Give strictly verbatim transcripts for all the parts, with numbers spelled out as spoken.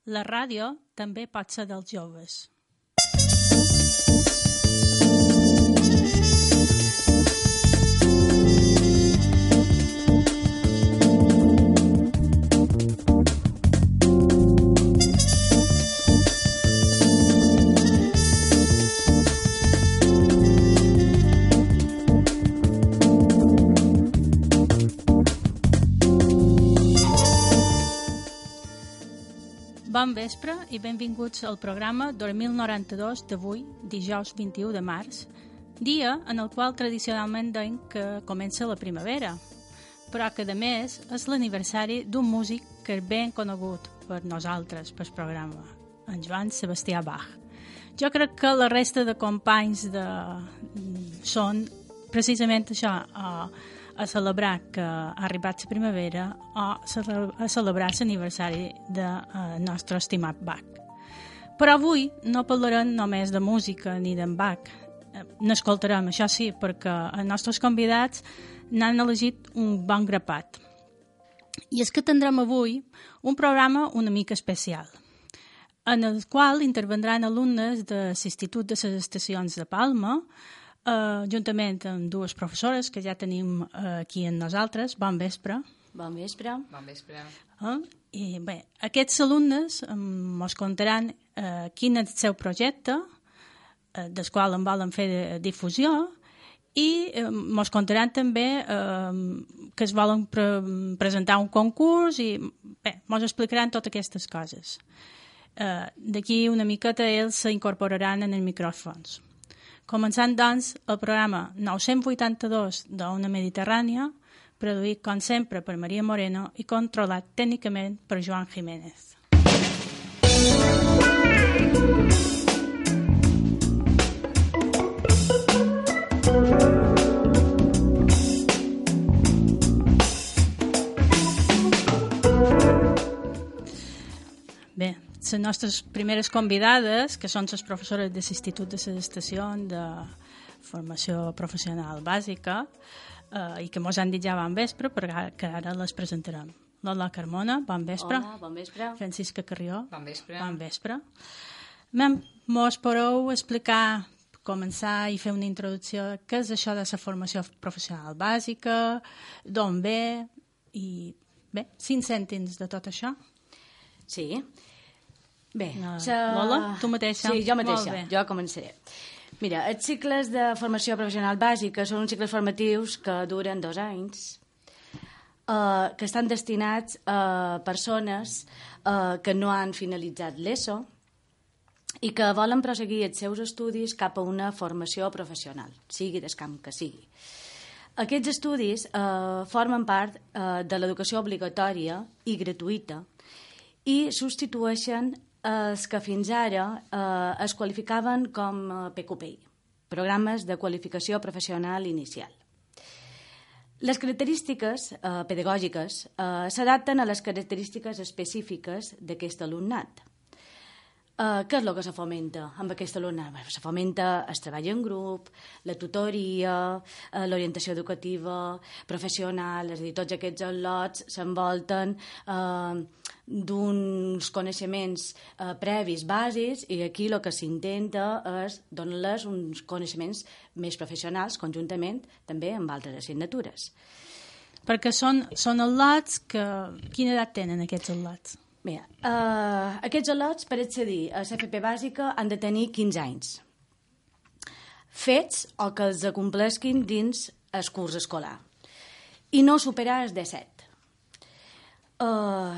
La ràdio també pot ser dels joves. Bon vespre i benvinguts al programa dos mil noranta-dos d'avui, dijous vint-i-u de març, dia en el qual tradicionalment deim que comença la primavera, però que a més és l'aniversari d'un músic que és ben conegut per nosaltres, pel programa, en Joan Sebastià Bach. Jo crec que la resta de companys de... són precisament això, a, a celebrar que ha arribat la primavera o a celebrar l'aniversari del nostre estimat Bach. Però avui no parlarem només de música ni d'en Bach. N'escoltarem, això sí, perquè els nostres convidats n'han elegit un bon grapat. I és que tindrem avui un programa una mica especial, en el qual intervendran alumnes de l'Institut de les Estacions de Palma, Uh, juntament amb dues professores que ja tenim uh, aquí amb nosaltres. Bon vespre. Bon vespre. Bon vespre. Uh, I bé, aquests alumnes um, ens contaran uh, quin és el seu projecte, uh, del qual en volen fer de, difusió, i ens uh, contaran també uh, que es volen pre presentar un concurs i bé, ens explicaran totes aquestes coses. Uh, D'aquí una miqueta ells s'incorporaran en els micròfons. Començant, doncs, el programa nou-cents vuitanta-dos d'Ona Mediterrània, produït, com sempre, per Maria Moreno i controlat tècnicament per Joan Jiménez. Bé, les nostres primeres convidades, que són les professores de l'Institut de les Estacions de Formació Professional Bàsica, eh, i que ens han dit ja bon vespre, perquè que ara les presentarem. Lola Carmona, bon vespre. Hola, bon vespre. Francisca Carrió. Bon vespre. Bon vespre. Mos podeu explicar, començar i fer una introducció, què és això de la formació professional bàsica, d'on ve, i bé, cinc cèntims de tot això? Sí. Bé, No. sa... Lola, tu mateixa? Sí, jo mateixa, Molt bé. jo començaré. Mira, els cicles de formació professional bàsica són uns cicles formatius que duren dos anys, eh, que estan destinats a persones eh, que no han finalitzat l'ESO i que volen proseguir els seus estudis cap a una formació professional, sigui del camp que sigui. Aquests estudis eh, formen part eh, de l'educació obligatòria i gratuïta i substitueixen els que fins ara eh, es qualificaven com P Q P I, Programes de Qualificació Professional Inicial. Les característiques eh, pedagògiques eh, s'adapten a les característiques específiques d'aquest alumnat. Uh, què és el que se fomenta amb aquest alumnat? Se fomenta el treball en grup, la tutoria, uh, l'orientació educativa, professional, és a dir, tots aquests al·lots s'envolten uh, d'uns coneixements uh, previs bàsics i aquí el que s'intenta és donar-les uns coneixements més professionals conjuntament també amb altres assignatures. Perquè són, són al·lots que... Quina edat tenen aquests al·lots? Mira, uh, aquests al·lots per accedir a l'F P bàsica han de tenir quinze anys fets o que els acomplesquin dins el curs escolar i no superar els disset. Uh,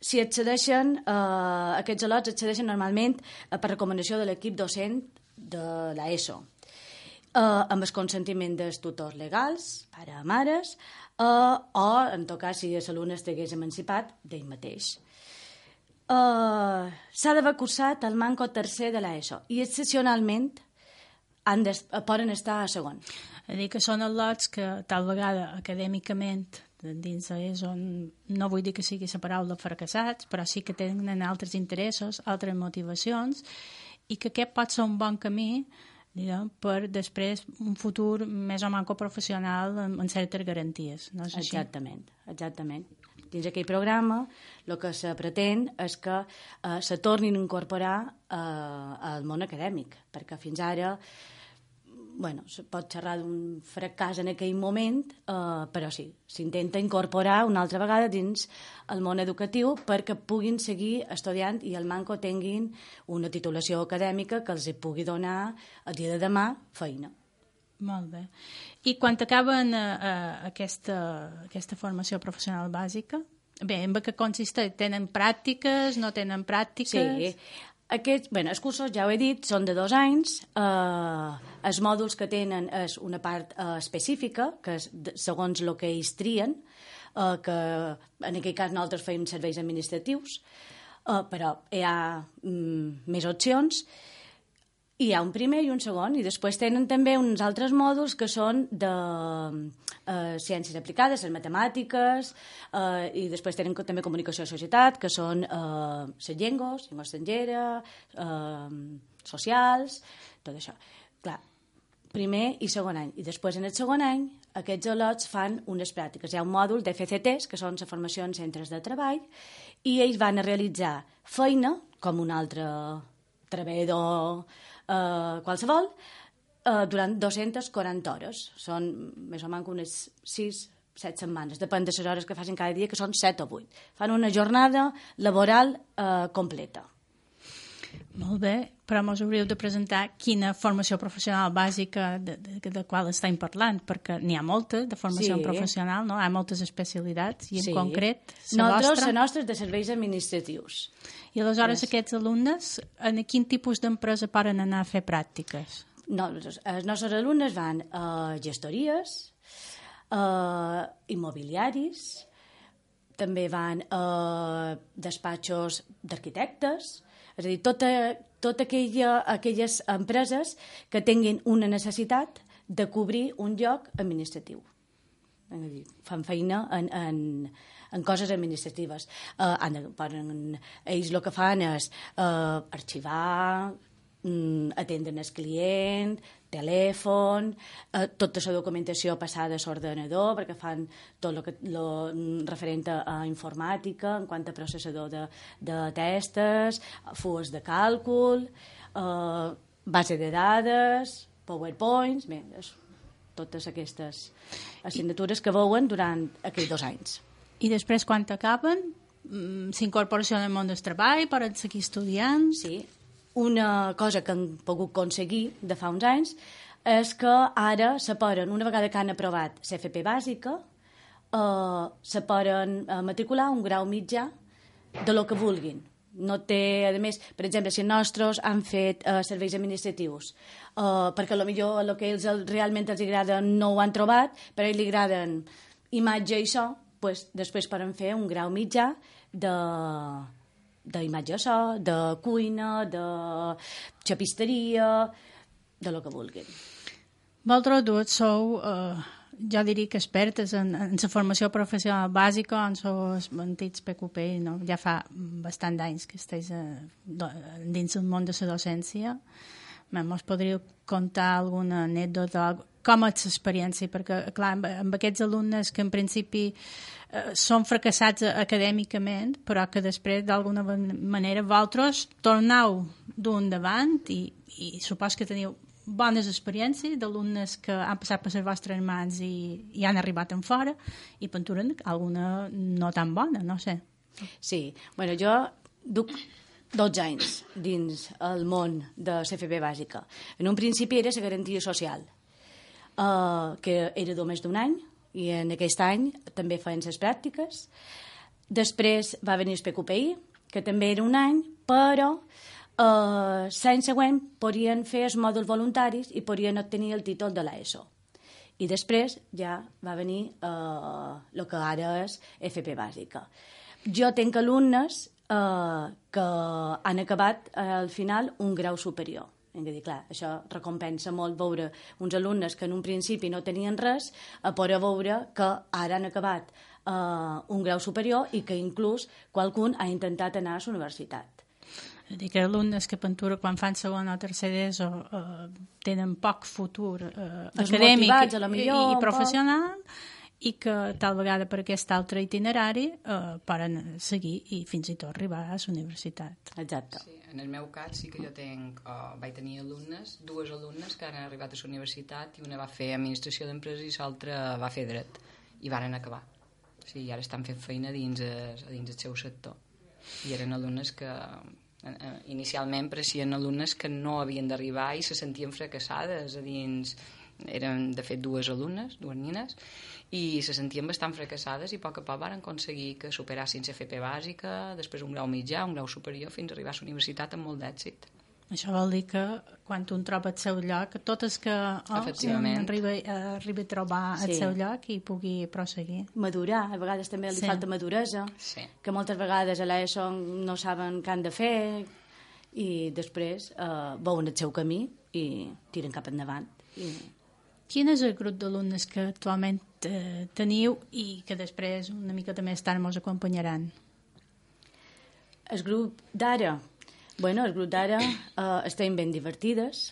si accedeixen, uh, aquests al·lots accedeixen normalment uh, per recomanació de l'equip docent de l'ESO, uh, amb el consentiment dels tutors legals, pare o mares, uh, o, en tot cas, si l'alumne estigués emancipat, d'ell mateix. Uh, s'ha d'haver cursat el manco tercer de l'ESO i excepcionalment han de, poden estar a segon. És a dir, que són al·lots que tal vegada acadèmicament dins l'ESO, no vull dir que sigui la paraula fracassats, però sí que tenen altres interessos, altres motivacions, i que aquest pot ser un bon camí, diguem, per després un futur més o manco professional amb, amb certes garanties. No és així? Exactament, exactament. dins aquell programa el que se pretén és que eh, se tornin a incorporar eh, al món acadèmic, perquè fins ara bueno, se pot xerrar d'un fracàs en aquell moment, eh, però sí, s'intenta incorporar una altra vegada dins el món educatiu perquè puguin seguir estudiant i el manco tinguin una titulació acadèmica que els pugui donar el dia de demà feina. Molt bé. I quan acaben eh, eh, aquesta, aquesta formació professional bàsica, bé, en què consisteix? Tenen pràctiques, no tenen pràctiques? Sí, aquests, bé, els cursos, ja ho he dit, són de dos anys. Eh, els mòduls que tenen és una part eh, específica, que és de, segons el que ells trien, eh, que en aquell cas nosaltres feim serveis administratius, eh, però hi ha mm, més opcions. Hi ha un primer i un segon, i després tenen també uns altres mòduls que són de eh, ciències aplicades, les matemàtiques, eh, i després tenen també comunicació de societat, que són eh, les llengües, llengua estrangera, eh, socials, tot això. Clar, primer i segon any. I després, en el segon any, aquests al·lots fan unes pràctiques. Hi ha un mòdul de F C Ts, que són la formació en centres de treball, i ells van a realitzar feina, com un altre treballador Uh, qualsevol, uh, durant dues-centes quaranta hores. Són més o menys unes sis set setmanes, depèn de les hores que facin cada dia, que són set o vuit. Fan una jornada laboral uh, completa. Molt bé, però mos hauríeu de presentar quina formació professional bàsica de, de, de qual estem parlant, perquè n'hi ha moltes de formació sí. professional, no? Hi ha moltes especialitats, i en sí. concret la Nosaltres, vostra... la nostra és de serveis administratius. I aleshores yes. aquests alumnes, en quin tipus d'empresa poden anar a fer pràctiques? No, els nostres alumnes van a gestories, a immobiliaris, també van a despatxos d'arquitectes, és a dir, tota, tota aquella, aquelles empreses que tinguin una necessitat de cobrir un lloc administratiu. És a dir, fan feina en, en, en coses administratives. Uh, han de, poden, ells el que fan és uh, arxivar, um, atendre el client, telèfon, uh, tota la documentació passada a l'ordenador, perquè fan tot el que, lo, referent a informàtica, en quant a processador de, de testes, fulls de càlcul, uh, base de dades, PowerPoints, bé, és, totes aquestes assignatures que veuen durant aquells dos anys. I després, quan acaben, s'incorporació al món del treball, poden seguir estudiant? Sí. Una cosa que han pogut aconseguir de fa uns anys és que ara se poden, una vegada que han aprovat la F P bàsica, eh, se poden matricular un grau mitjà de lo que vulguin. No té, a més, per exemple, si els nostres han fet eh, serveis administratius, eh, perquè potser el que ells realment els agrada no ho han trobat, però a ells li agraden imatge i so, pues, després poden fer un grau mitjà de d'imatge i so, de cuina, de xapisteria, de lo que vulguin. Vosaltres dues sou... Eh... jo diria que expertes en, en la formació professional bàsica, en els antics P Q P, no? Ja fa bastant d'anys que esteu do, dins del món de la docència. Mos podríeu contar alguna anècdota, com és l'experiència? Perquè, clar, amb, amb aquests alumnes que en principi eh, són fracassats acadèmicament, però que després, d'alguna manera, vosaltres torneu d'un davant i, i supos que teniu bones experiències d'alumnes que han passat per les vostres mans i, i han arribat en fora, i penturen alguna no tan bona, no sé. Sí, bueno, jo duc dotze anys dins el món de la F P bàsica. En un principi era la garantia social, uh, que era només d'un any, i en aquest any també feien les pràctiques. Després va venir el P Q P I, que també era un any, però Uh, l'any següent podien fer els mòduls voluntaris i podien obtenir el títol de l'ESO. I després ja va venir uh, el que ara és F P bàsica. Jo tinc alumnes uh, que han acabat uh, al final un grau superior. Hem de dir, clar, això recompensa molt veure uns alumnes que en un principi no tenien res, a poder veure que ara han acabat uh, un grau superior i que inclús qualcun ha intentat anar a la universitat. És a dir, que alumnes que pentura quan fan segon o tercer d'ESO eh, tenen poc futur eh, acadèmic i, i professional, i que tal vegada per aquest altre itinerari eh, poden seguir i fins i tot arribar a la universitat. Exacte. Sí, en el meu cas sí que jo tenc, uh, vaig tenir alumnes, dues alumnes que han arribat a la universitat i una va fer administració d'empreses i l'altra va fer dret i varen acabar. O sigui, ara estan fent feina dins, es, dins el seu sector. I eren alumnes que uh, inicialment pareixien alumnes que no havien d'arribar i se sentien fracassades a dins. Eren de fet dues alumnes, dues nines, i se sentien bastant fracassades i a poc a poc van aconseguir que superassin la F P bàsica, després un grau mitjà, un grau superior, fins a arribar a la universitat amb molt d'èxit. Això vol dir que quan un troba el seu lloc, totes que oh, arriba, arriba a trobar sí. el seu lloc i pugui proseguir. Madurar, a vegades també li sí. falta maduresa, sí. que moltes vegades a l'ESO no saben què han de fer i després eh, veuen el seu camí i tiren cap endavant. I... Quin és el grup d'alumnes que actualment eh, teniu i que després una miqueta més tard ens acompanyaran? El grup d'ara? Bueno, el grup d'ara eh, estem ben divertides.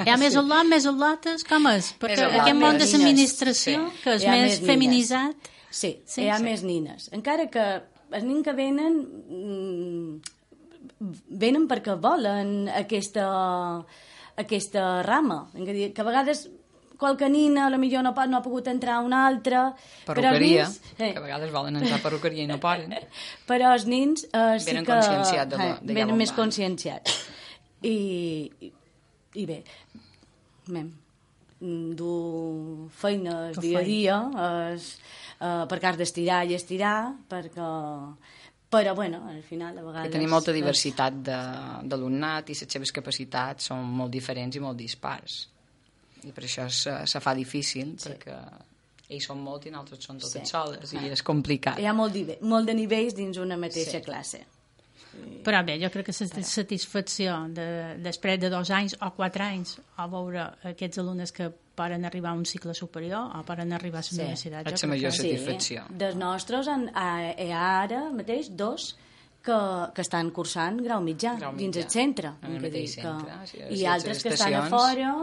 Hi ha més al·lot, més al·lotes? Com és? Perquè aquest món de l'administració, sí. que és més, més feminitzat... Sí, sí, hi ha sí. més nines. Encara que els nins que venen venen perquè volen aquesta, aquesta rama. Que a vegades... qualque nina, potser no, no ha pogut entrar a una altra... Perruqueria, nins, eh. que a vegades volen entrar a perruqueria i no poden. Però els nins eh, sí venen que... conscienciats de, eh, de venen més conscienciats. I, i, i bé, mem, dur feines que dia a dia, es, eh, perquè has d'estirar i estirar, perquè... Però, bueno, al final, a vegades... Que tenim molta diversitat d'alumnat i les seves capacitats són molt diferents i molt dispars. I per això se, se fa difícil, sí. perquè ells són molt i nosaltres són totes sí. soles, i és complicat. Hi ha molt, molt de nivells dins una mateixa sí. classe. Sí. Però bé, jo crec que la satisfacció de, després de dos anys o quatre anys a veure aquests alumnes que poden arribar a un cicle superior o poden arribar a la sí. universitat. És la major satisfacció. Sí. Dels nostres hi ha ara mateix dos que, que estan cursant grau mitjà, grau mitjà. dins el centre. En el mateix centre. Que, sí, I altres que estan a fora...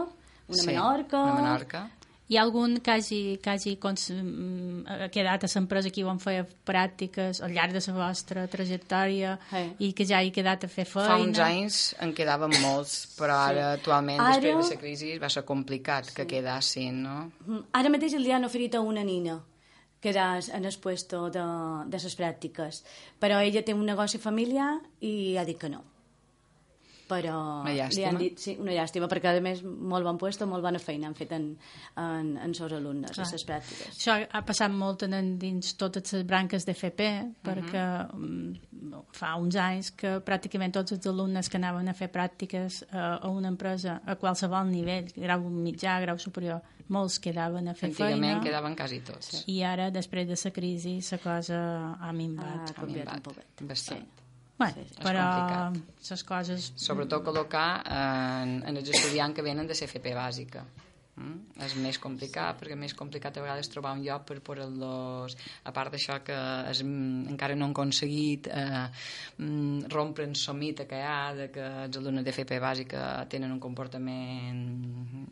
Una sí, Menorca... Una Menorca. Hi ha algun que hagi, que hagi cons... quedat a l'empresa aquí on feia pràctiques al llarg de la vostra trajectòria sí. i que ja hi ha quedat a fer feina? Fa uns anys en quedaven molts, però ara sí. actualment, ara... després de la crisi, va ser complicat sí. que quedassin, no? Ara mateix li han oferit a una nina quedar en el puesto de, de les pràctiques, però ella té un negoci familiar i ha dit que no. Però una llàstima. Li han dit, sí, una llàstima, perquè a més molt bon puesto, molt bona feina han fet en, en, en seus alumnes, a les pràctiques. Això ha passat molt en, dins totes les branques d'F P, perquè uh-huh. fa uns anys que pràcticament tots els alumnes que anaven a fer pràctiques a, a una empresa a qualsevol nivell, grau mitjà, grau superior, molts quedaven a fer Antigament feina. Antigament quedaven quasi tots. Sí. I ara, després de la crisi, la cosa ha minvat. Ha canviat un poquet. Bastant. Sí. Bueno, sí, però les coses... Sobretot col·locar en, en els estudiants que venen de la F P bàsica. Mm? És més complicat, perquè és més complicat a vegades trobar un lloc per posar-los... A part d'això que es, encara no han aconseguit eh, rompre el somit que hi ha, de que els alumnes de F P bàsica tenen un comportament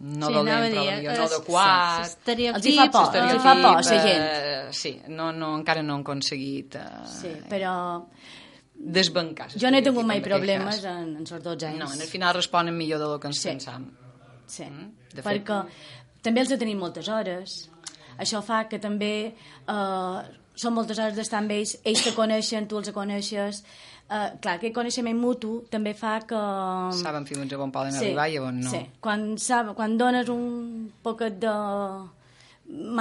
no sí, dolent, però dir, no adequat. Sí, els hi fa por, els hi fa por, la gent. Sí, no, no, encara no han aconseguit... Eh, sí, però... desbancar. Jo no he tingut mai problemes en, en els dotze anys. No, en el final responen millor del que ens sí. pensam. Sí, mm? perquè fet... també els tenim moltes hores. Això fa que també eh, són moltes hores d'estar amb ells, ells que coneixen, tu els coneixes. Eh, clar, aquest coneixement mutu també fa que... Saben fins a on poden sí, arribar i a on no. Sí, quan, sab... quan dones un poquet de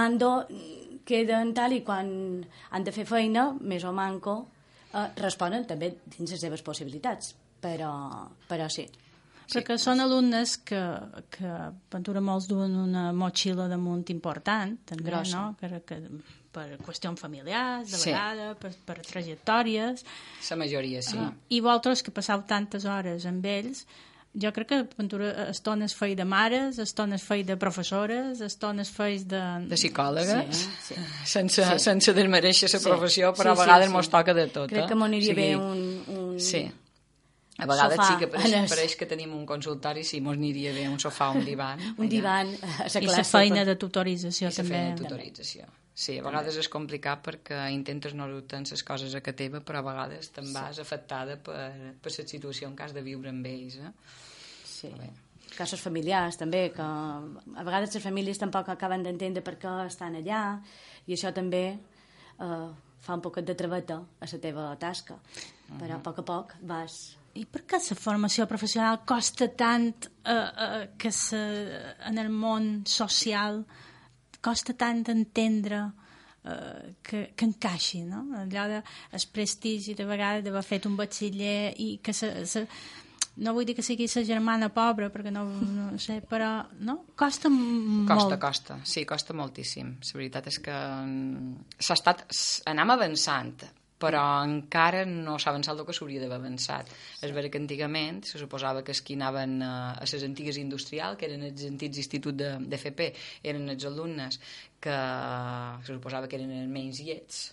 mando, queden tal i quan han de fer feina, més o manco, Uh, responen també dins les seves possibilitats, però, però sí. Perquè sí. Són alumnes que, que Ventura molts duen una motxilla damunt important, també, grossa. No? Que, que, per qüestions familiars, de sí. vegada, per, per trajectòries. La majoria, sí. Uh, I vosaltres que passeu tantes hores amb ells, jo crec que Ventura estones feia de mares, estones feia de professores, estones feia de... De psicòloga, sí, sí. sense, sí. sense desmereixer la sí. professió, però sí, a vegades sí, mos sí. toca de tot. Crec eh? que m'aniria o sigui, bé un... un... Sí. A vegades sofà. Sí que pareix, es... pareix que tenim un consultori, sí, mos aniria bé un sofà, un divan. un divan a la classe. I la feina de tutorització I també. I la feina de tutorització. Sí, a vegades també és complicat perquè intentes no dubtar les coses a que teva, però a vegades te'n vas sí. afectada per, per la situació en cas de viure amb ells. Eh? Sí. Casos familiars també, que a vegades les famílies tampoc acaben d'entendre per què estan allà, i això també eh, fa un poquet de trebeta a la teva tasca, uh-huh. però a poc a poc vas... I per què la formació professional costa tant eh, eh, que se, en el món social costa tant entendre eh, que, que encaixi, no? Allò de el prestigi de vegades d'haver fet un batxiller i que se, se, no vull dir que sigui la germana pobra perquè no, no sé, però no? Costa molt. Costa, costa, sí, costa moltíssim. La veritat és que s'ha estat, anem avançant, però encara no s'ha avançat el que s'hauria d'haver avançat. És vera que antigament se suposava que els que anaven a les antigues industrials, que eren els antics instituts d'F P, eren els alumnes que se suposava que eren els menys llets,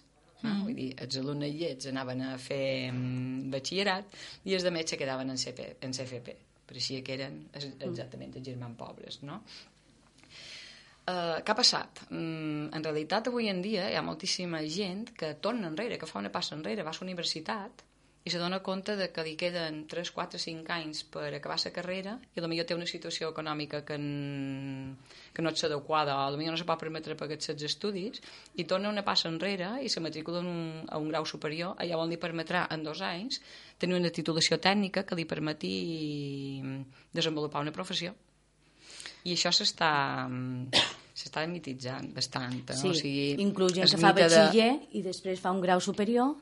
no? Mm. Vull dir, els alumnes llets anaven a fer batxillerat i els altres se quedaven en C P, en C F P. Pareixia que eren exactament els germans pobres, no? Uh, què ha passat? Um, en realitat avui en dia hi ha moltíssima gent que torna enrere, que fa una passa enrere, va a la universitat i se dona compte de que li queden tres, quatre, cinc anys per acabar la carrera i potser té una situació econòmica que, en, que no és adequada o potser no se pot permetre pagar els estudis i torna una passa enrere i se matricula en un, a un grau superior. Allà on li permetrà en dos anys tenir una titulació tècnica que li permeti desenvolupar una professió. I això s'està s'està mititzant bastant. No? Sí, o sigui, inclús gent que fa batxiller de... i després fa un grau superior,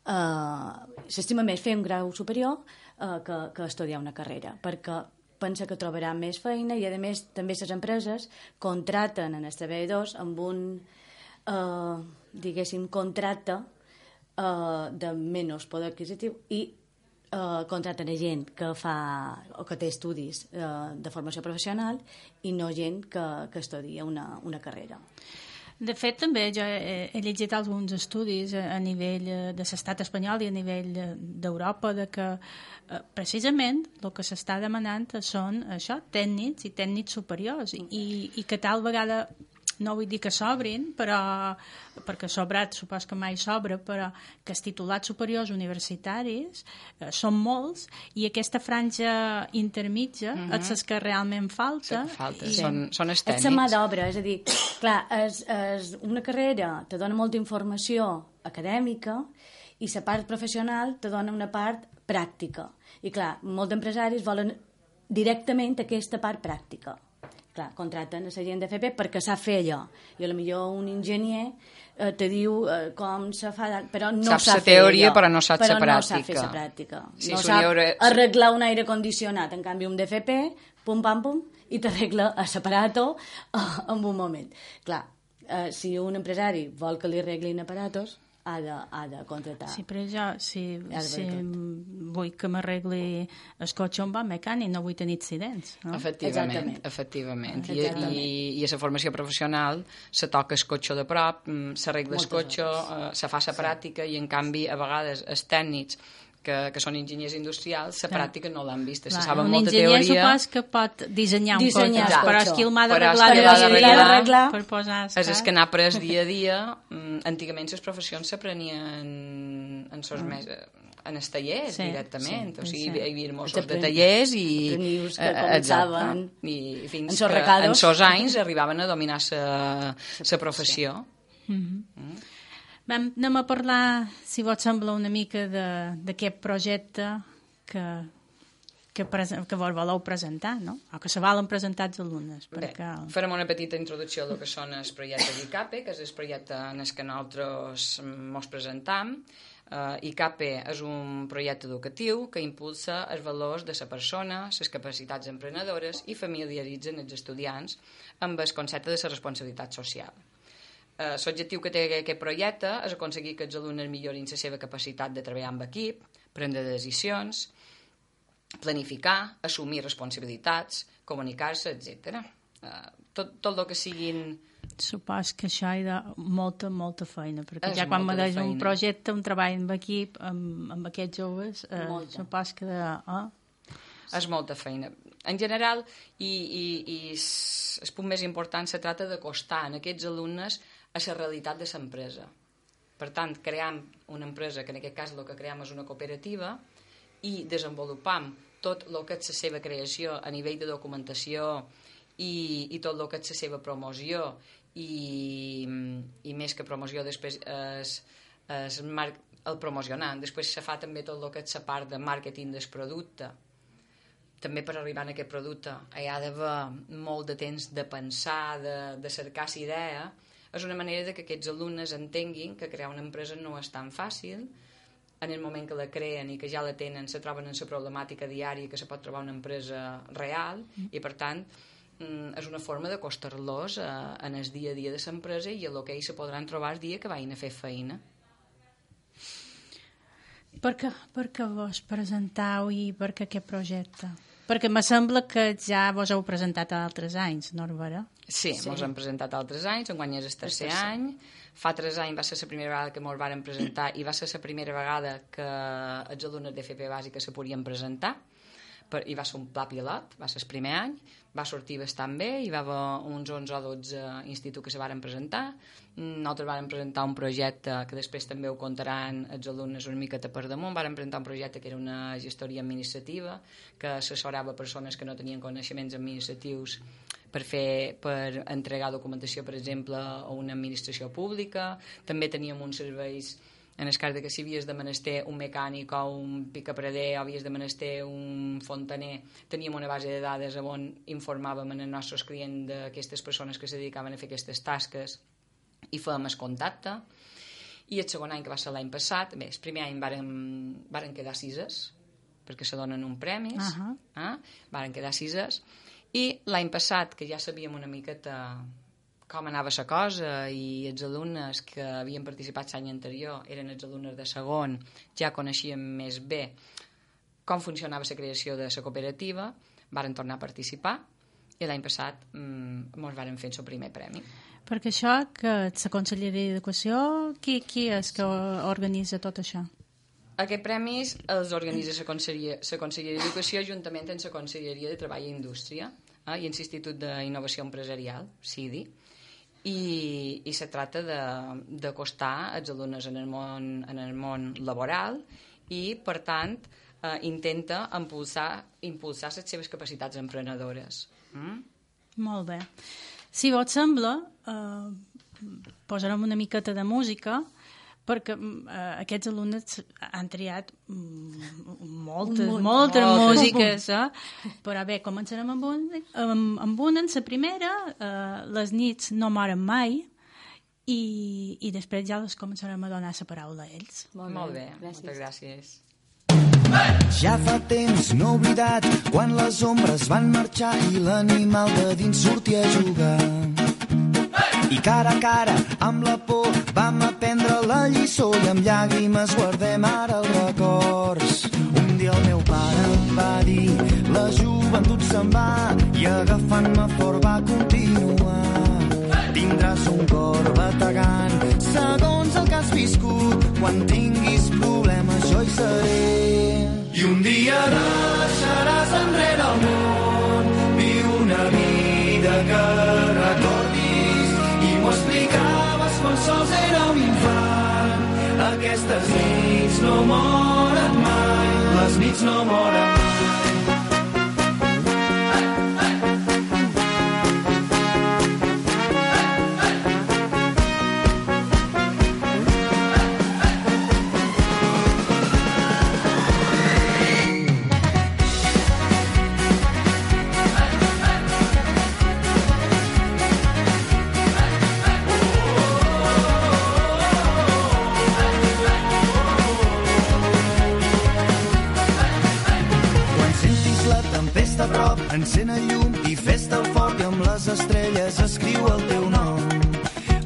eh, s'estima més fer un grau superior eh, que, que estudiar una carrera, perquè pensa que trobarà més feina i, a més, també les empreses contraten en els treballadors amb un, eh, diguéssim, contracte eh, de menys poder adquisitiu i Uh, contraten a gent que fa o que té estudis uh, de formació professional i no gent que, que estudia una, una carrera. De fet, també jo he, he llegit alguns estudis a, a nivell de l'estat espanyol i a nivell d'Europa de que eh, precisament el que s'està demanant són això, tècnics i tècnics superiors i, i que tal vegada no vull dir que s'obrin, però perquè sobrat supos que mai s'obre, però que els titulats superiors universitaris eh, són molts i aquesta franja intermitja mm-hmm. és el que realment falta. Sí, falta. I... Són, són els tècnics. És la mà d'obra, és a dir, clar, és, és una carrera te dona molta informació acadèmica i la part professional te dona una part pràctica. I clar, molts empresaris volen directament aquesta part pràctica. Clar, contraten a la gent de F P perquè sap fer allò. I potser un enginyer eh, te diu eh, com se fa, però no sap sap fer teoria, allò. però no sap però la pràctica. No sap fer la pràctica. Sí, no sap haurà... arreglar un aire condicionat. En canvi, un d'F P, pum, pam, pum, i t'arregla a l'aparato eh, en un moment. Clar, eh, si un empresari vol que li arreglin aparatos, ha de, ha de contratar. Sí, però jo, si, si vull que m'arregli el cotxe on va mecànic, no vull tenir accidents. No? Efectivament, efectivament. I, i, I a la formació professional se toca el cotxe de prop, s'arregla el cotxe, eh, se fa la pràctica i, en canvi, a vegades els tècnics que, que són enginyers industrials, la pràctica no l'han vista. Se saben molta teoria... Un enginyer supos que pot dissenyar un dissenyar cotxe, però és qui el m'ha d'arreglar per posar... És el que n'ha après dia a dia. Antigament les professions s'aprenien en sos més... en els tallers, sí, directament. Sí, o sigui, sí. Hi havia mossos de tallers i... Aprendius que començaven i fins que en sos anys arribaven a dominar la professió. Sí. Mm-hmm. Mm. Vam, anem a parlar, si vos sembla, una mica d'aquest projecte que, que, presen, que vos voleu presentar, no? O que se volen presentar els alumnes. Bé, perquè... farem una petita introducció del que són els projectes d'I C A P E, que és el projecte en el que nosaltres ens presentam. Uh, I C A P E és un projecte educatiu que impulsa els valors de la persona, les capacitats emprenedores i familiaritzen els estudiants amb el concepte de la responsabilitat social. Uh, l'objectiu que té aquest projecte és aconseguir que els alumnes millorin la seva capacitat de treballar amb equip, prendre decisions, planificar, assumir responsabilitats, comunicar-se, etcètera. Uh, tot, tot el que siguin... Supos que això hi ha molta, molta feina, perquè és ja quan me deia un projecte, un treball amb equip, amb, amb aquests joves, eh, supos que... De, oh. És molta feina. En general, i, i, i el punt més important, se trata d'acostar en aquests alumnes a la realitat de l'empresa. Per tant, cream una empresa, que en aquest cas el que cream és una cooperativa, i desenvolupam tot el que és la seva creació a nivell de documentació i, i tot el que és la seva promoció i, i més que promoció després és, és mar, el promocionant. Després se fa també tot el que és la part de màrqueting del producte. També per arribar a aquest producte hi ha d'haver molt de temps de pensar, de, de cercar la idea. És una manera de que aquests alumnes entenguin que crear una empresa no és tan fàcil. En el moment que la creen i que ja la tenen, se troben en la problemàtica diària que se pot trobar una empresa real i, per tant, és una forma d'acostar-los en el dia a dia de l'empresa i el que ells se podran trobar el dia que vagin a fer feina. Per què, per què vos presentau i per què aquest projecte? Perquè me sembla que ja vos heu presentat altres anys, no és vera? Sí, sí. Mos hem presentat altres anys, enguany és el tercer any. Fa tres anys va ser la primera vegada que mos varen presentar i va ser la primera vegada que els alumnes d'F P bàsica se podien presentar. I va ser un pla pilot, va ser el primer any, va sortir bastant bé, hi va haver uns onze o dotze instituts que se varen presentar. Nosaltres vàrem presentar un projecte que després també ho contaran els alumnes una miqueta per damunt. Vàrem presentar un projecte que era una gestoria administrativa que assessorava persones que no tenien coneixements administratius per, fer, per entregar documentació, per exemple, a una administració pública. També teníem uns serveis en el cas que si havies de menester un mecànic o un picaprader o havies de menester un fontaner, teníem una base de dades on informàvem els nostres clients d'aquestes persones que se dedicaven a fer aquestes tasques i fèiem el contacte. I el segon any, que va ser l'any passat, bé, el primer any varen, varen quedar sises, perquè se donen un premis, uh-huh. eh? Varen quedar sises, i l'any passat, que ja sabíem una miqueta com anava la cosa i els alumnes que havien participat l'any anterior eren els alumnes de segon, ja coneixien més bé com funcionava la creació de la cooperativa, varen tornar a participar i l'any passat mmm, ens varen fer el primer premi. Perquè això, que la Conselleria d'Educació, qui, qui és que organitza tot això? Aquests premis els organitza la Conselleria, la Conselleria d'Educació juntament amb la Conselleria de Treball i Indústria eh, i l'Institut d'Innovació Empresarial, C I D I, i, i se tracta d'acostar els alumnes en el món, en el món laboral i, per tant, eh, intenta impulsar, impulsar les seves capacitats emprenedores. Mm? Molt bé. Si vos sembla, eh, posarem una miqueta de música perquè eh, aquests alumnes han triat mm, moltes, Un moltes molt. músiques, eh? Però bé, començarem amb, un, amb, amb una, en la primera, eh, Les nits no moren mai, i, i després ja les començarem a donar la paraula a ells. Molt bé, Molt bé. Gràcies. Moltes gràcies. Ja fa temps no oblidat quan les ombres van marxar i l'animal de dins sortia a jugar. I cara a cara, amb la por, vam aprendre la lliçó i amb llàgrimes guardem ara els records. Un dia el meu pare em va dir, la joventut se'n va, i agafant-me fort va continuar. Tindràs un cor bategant, segons el que has viscut, quan tinguis problemes jo hi seré. I un dia deixaràs enrere el món, viu una vida que recordis, i m'ho explicaves quan sols era un infant. Aquestes nits no moren mai, les nits no moren mai. Encén el llum i fes-te el fort i amb les estrelles escriu el teu nom.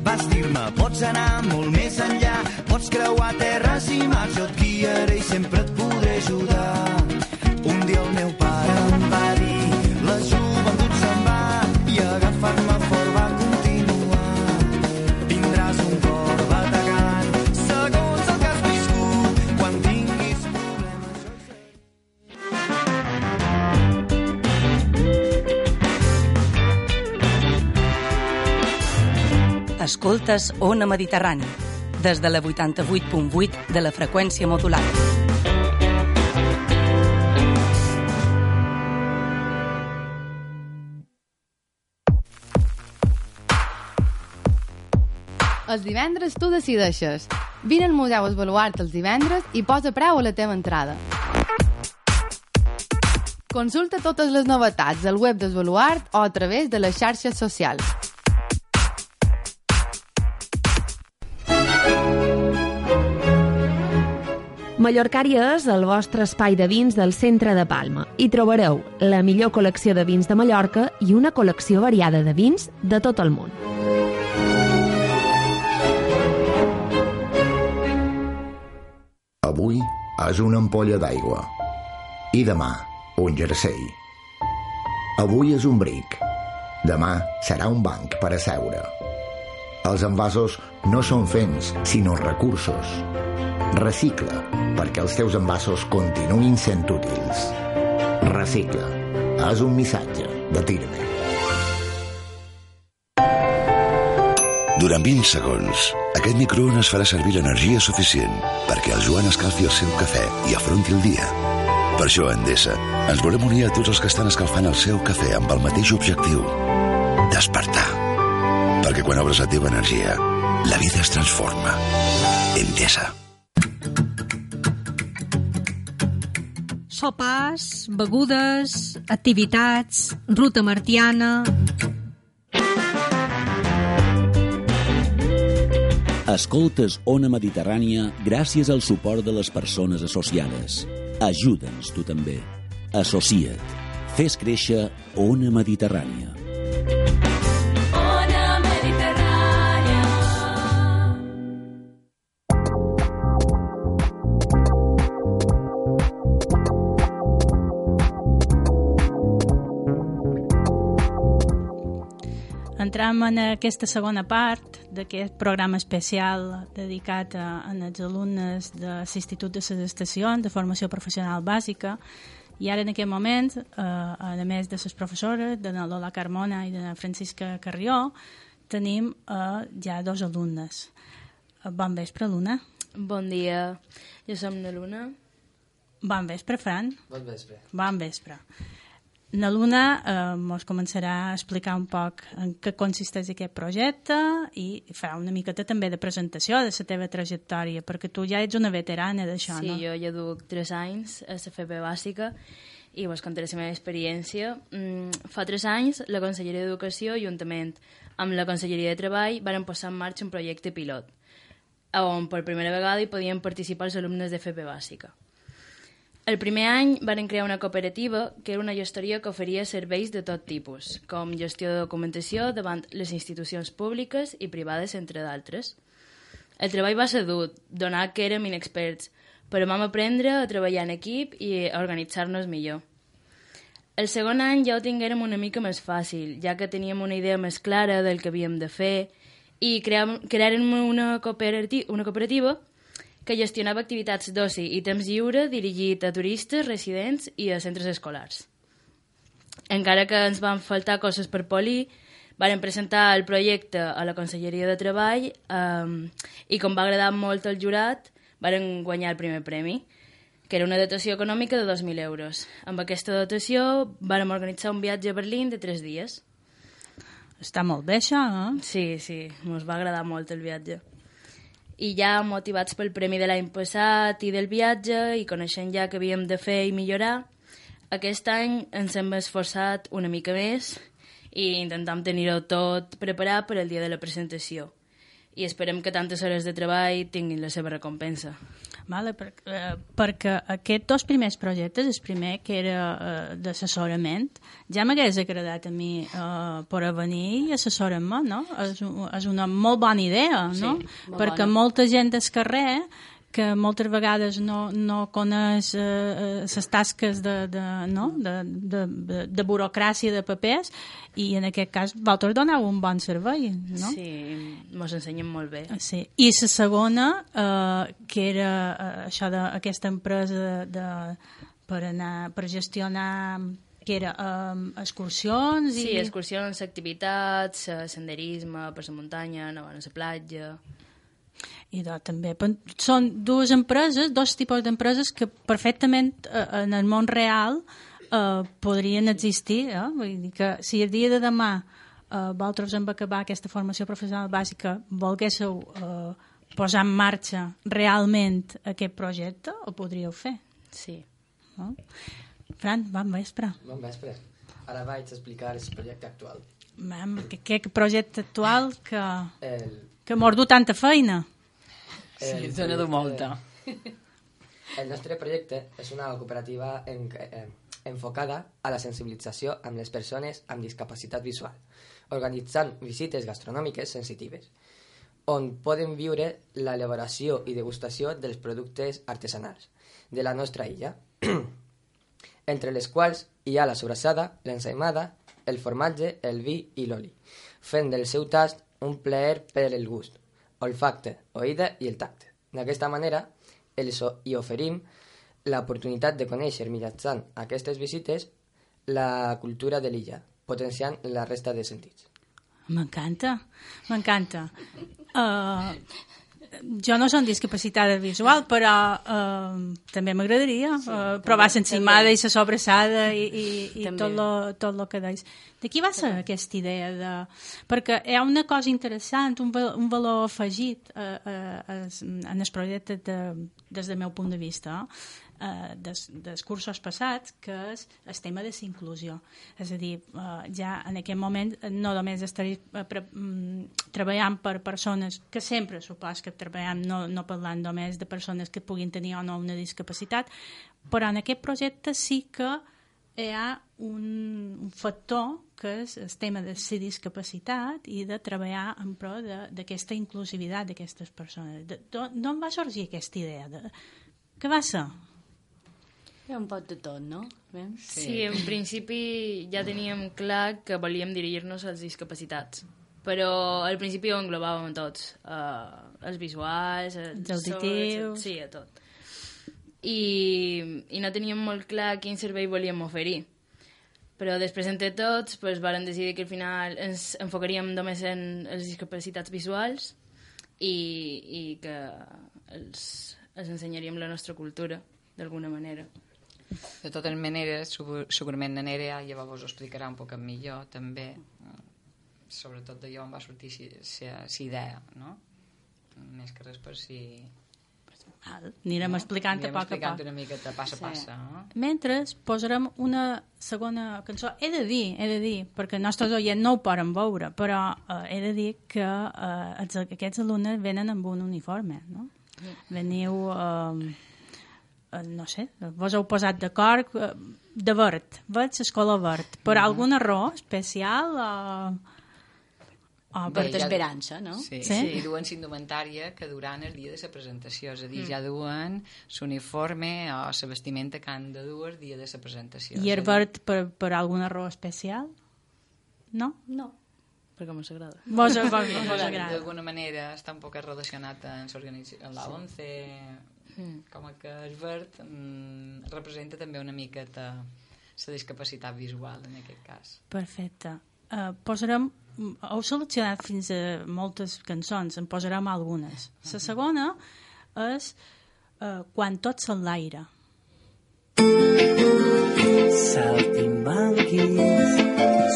Vas dir-me, pots anar molt més enllà, pots creuar terres i mars, jo et guiaré i sempre et podré ajudar. Un dia el meu pare em va dir, la joventut se'n va, i agafar-me fort va continuar. Tindràs un cor bategant, segons el que has viscut, quan tinguis problemes jo hi seré. Escoltes Ona Mediterrani, des de la vuitanta-vuit punt vuit de la freqüència modulada. Els divendres tu decideixes. Vine al Museu Esbaluart els divendres i posa preu a la teva entrada. Consulta totes les novetats al web d'Esbaluart o a través de les xarxes socials. Mallorcària és el vostre espai de vins del centre de Palma. Hi trobareu la millor col·lecció de vins de Mallorca i una col·lecció variada de vins de tot el món. Avui és una ampolla d'aigua i demà un jersei. Avui és un bric, demà serà un banc per asseure. Els envasos no són fens, sinó recursos. Recicla, perquè els teus envasos continuïn sent útils. Recicla. És un missatge de Tirme. Durant vint segons, aquest microones farà servir l'energia suficient perquè el Joan escalfi el seu cafè i afronti el dia. Per això, a Endesa, ens volem unir a tots els que estan escalfant el seu cafè amb el mateix objectiu: despertar. Perquè quan obres la teva energia, la vida es transforma. Endesa. Sopars, begudes, activitats, ruta martiana... Escoltes Ona Mediterrània gràcies al suport de les persones associades. Ajuda'ns tu també. Associa't. Fes créixer Ona Mediterrània. Ona Mediterrània. Entram en aquesta segona part d'aquest programa especial dedicat a, a els alumnes de l'Institut de les Estacions de Formació Professional Bàsica, i ara en aquest moment, eh, a més de les professores, de la Lola Carmona i de la Francisca Carrió, tenim eh, ja dos alumnes. Bon vespre, Luna. Bon dia, jo som la Luna. Bon vespre, Fran. Bon vespre. Bon vespre. La Luna eh, ens començarà a explicar un poc en què consisteix aquest projecte i farà una miqueta també de presentació de la teva trajectòria, perquè tu ja ets una veterana d'això, sí, no? Sí, jo ja duc tres anys a la F P bàsica i vos contaré la meva experiència. Mm, fa tres anys, la Conselleria d'Educació, juntament amb la Conselleria de Treball, varen posar en marxa un projecte pilot, on per primera vegada hi podien participar els alumnes de F P bàsica. El primer any van crear una cooperativa que era una gestoria que oferia serveis de tot tipus, com gestió de documentació davant les institucions públiques i privades, entre d'altres. El treball va ser dur, donat que érem inexperts, però vam aprendre a treballar en equip i a organitzar-nos millor. El segon any ja ho tinguérem una mica més fàcil, ja que teníem una idea més clara del que havíem de fer i creàrem una cooperativa, una cooperativa que gestionava activitats d'oci i temps lliure dirigit a turistes, residents i a centres escolars. Encara que ens van faltar coses per polir, varen presentar el projecte a la Conselleria de Treball eh, i com va agradar molt al jurat, varen guanyar el primer premi, que era una dotació econòmica de dos mil euros. Amb aquesta dotació vàrem organitzar un viatge a Berlín de tres dies. Està molt bé, això, eh? Sí, sí, ens va agradar molt el viatge. I ja motivats pel premi de l'any passat i del viatge i coneixent ja que havíem de fer i millorar, aquest any ens hem esforçat una mica més i intentam tenir-ho tot preparat per al dia de la presentació. I esperem que tantes hores de treball tinguin la seva recompensa. Vale, per, eh, perquè aquests dos primers projectes, el primer que era eh, d'assessorament, ja m'hagués agradat a mi eh, per venir i assessorar-me, no? És, és una molt bona idea, no? Sí, perquè bona. Molta gent del carrer que moltes vegades no, no coneix eh, les tasques de, de, no? de, de, de, de burocràcia de papers, i en aquest cas vosaltres doneu un bon servei, no? Sí, ens ensenyen molt bé. Sí. I la segona, eh, que era eh, això d'aquesta empresa de, per, anar, per gestionar que era um, excursions i... Sí, excursions, activitats, senderisme per la muntanya, anar a la platja... I de, també són dues empreses, dos tipus d'empreses que perfectament eh, en el món real eh, podrien existir, eh? Vull dir que si el dia de demà eh, vosaltres en acabar aquesta formació professional bàsica volguéssiu eh, posar en marxa realment aquest projecte, ho podríeu fer. Sí. No? Fran, bon vespre. Bon vespre. Ara vaig explicar el projecte actual. Mam, que, que projecte actual que, el... que m'ha du tanta feina. Sí, se n'ha du molta. El nostre projecte és una cooperativa en, eh, enfocada a la sensibilització amb les persones amb discapacitat visual, organitzant visites gastronòmiques sensitives, on poden viure l'elaboració i degustació dels productes artesanals de la nostra illa, entre les quals hi ha la sobrassada, l'ensaïmada, el formatge, el vi i l'oli, fent del seu tast un plaer per el gust, olfacte, oïda i el tacte. D'aquesta manera, els hi oferim l'oportunitat de conèixer mitjançant aquestes visites la cultura de l'illa, potenciant la resta de sentits. M'encanta, m'encanta. Uh, jo no soc discapacitada visual, però uh, també m'agradaria uh, sí, provar l'encimada i la sobrassada i, i, i tot lo, tot lo que deis. De qui va ser aquesta idea? De... Perquè hi ha una cosa interessant, un, val un valor afegit uh, uh, en el projecte de, des del meu punt de vista, uh, des, dels cursos passats, que és el tema de la inclusió. És a dir, uh, ja en aquest moment no només estaré uh, pre, um, treballant per persones que sempre supos que treballem, no, no parlant només de persones que puguin tenir o no una discapacitat, però en aquest projecte sí que hi ha un, un factor que és el tema de la discapacitat i de treballar en pro d'aquesta inclusivitat d'aquestes persones. D'on va sorgir aquesta idea? De... Què va ser? Hi ha un pot de tot, no? Sí. sí, en principi ja teníem clar que volíem dirigir-nos als discapacitats, però al principi ho englobàvem a tots, uh, els visuals, els auditius... Sí, a tot. I, i no teníem molt clar quin servei volíem oferir. Però després, entre tots, pues, vàrem decidir que al final ens enfocaríem només en les discapacitats visuals i, i que els, els ensenyaríem la nostra cultura, d'alguna manera. De totes maneres, segurament la Nerea ja vos ho explicarà un poc millor, també. Sobretot d'allò on va sortir la idea, no? Més que res per si... Anirem no? explicant Anirem a poc explicant a poc. una miqueta passa a passa. Sí. No? Mentre posarem una segona cançó. He de dir, he de dir, perquè els nostres oients no ho poden veure, però uh, he de dir que uh, aquests alumnes venen amb un uniforme, no? Mm. Veniu, uh, uh, no sé, vos heu posat d'acord uh, de verd, veig el color verd. Per mm -hmm. alguna raó especial o... Uh, Oh, per d'esperança, no? Sí, sí? sí, duen s'indumentària que duran el dia de la presentació, és a dir, mm. ja duen l'uniforme o la vestimenta que han de dur el dia de la presentació. I el verd per, per alguna raó especial? No? No, perquè mos agrada. Mos agrada. D'alguna manera està un poc relacionat amb la ONCE, mm. com que el verd mm, representa també una miqueta la discapacitat visual, en aquest cas. Perfecte. Uh, posarem heu seleccionat fins a moltes cançons, en posarem algunes. La segona és uh, Quan tot s'enlaira. Saltimbanquis,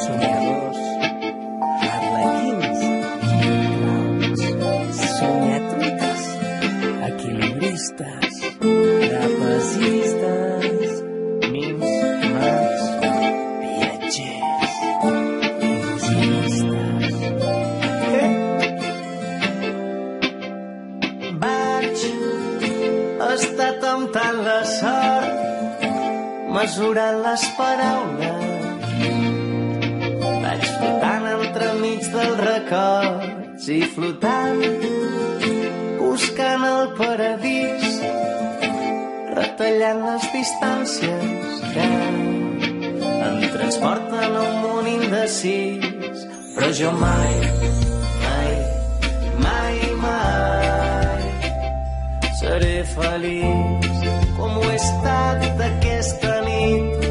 somiadors, arlequins, clowns, somiatruites, equilibristes, trapezistes, mims, mags, viatgers. Està temptant la sort, mesurant les paraules. Vaig flotant entremig dels records i flotant, buscant el paradís, retallant les distàncies que em transporten a un món indecís. Però jo mai, mai, mai, mai seré feliç com ho he estat aquesta nit.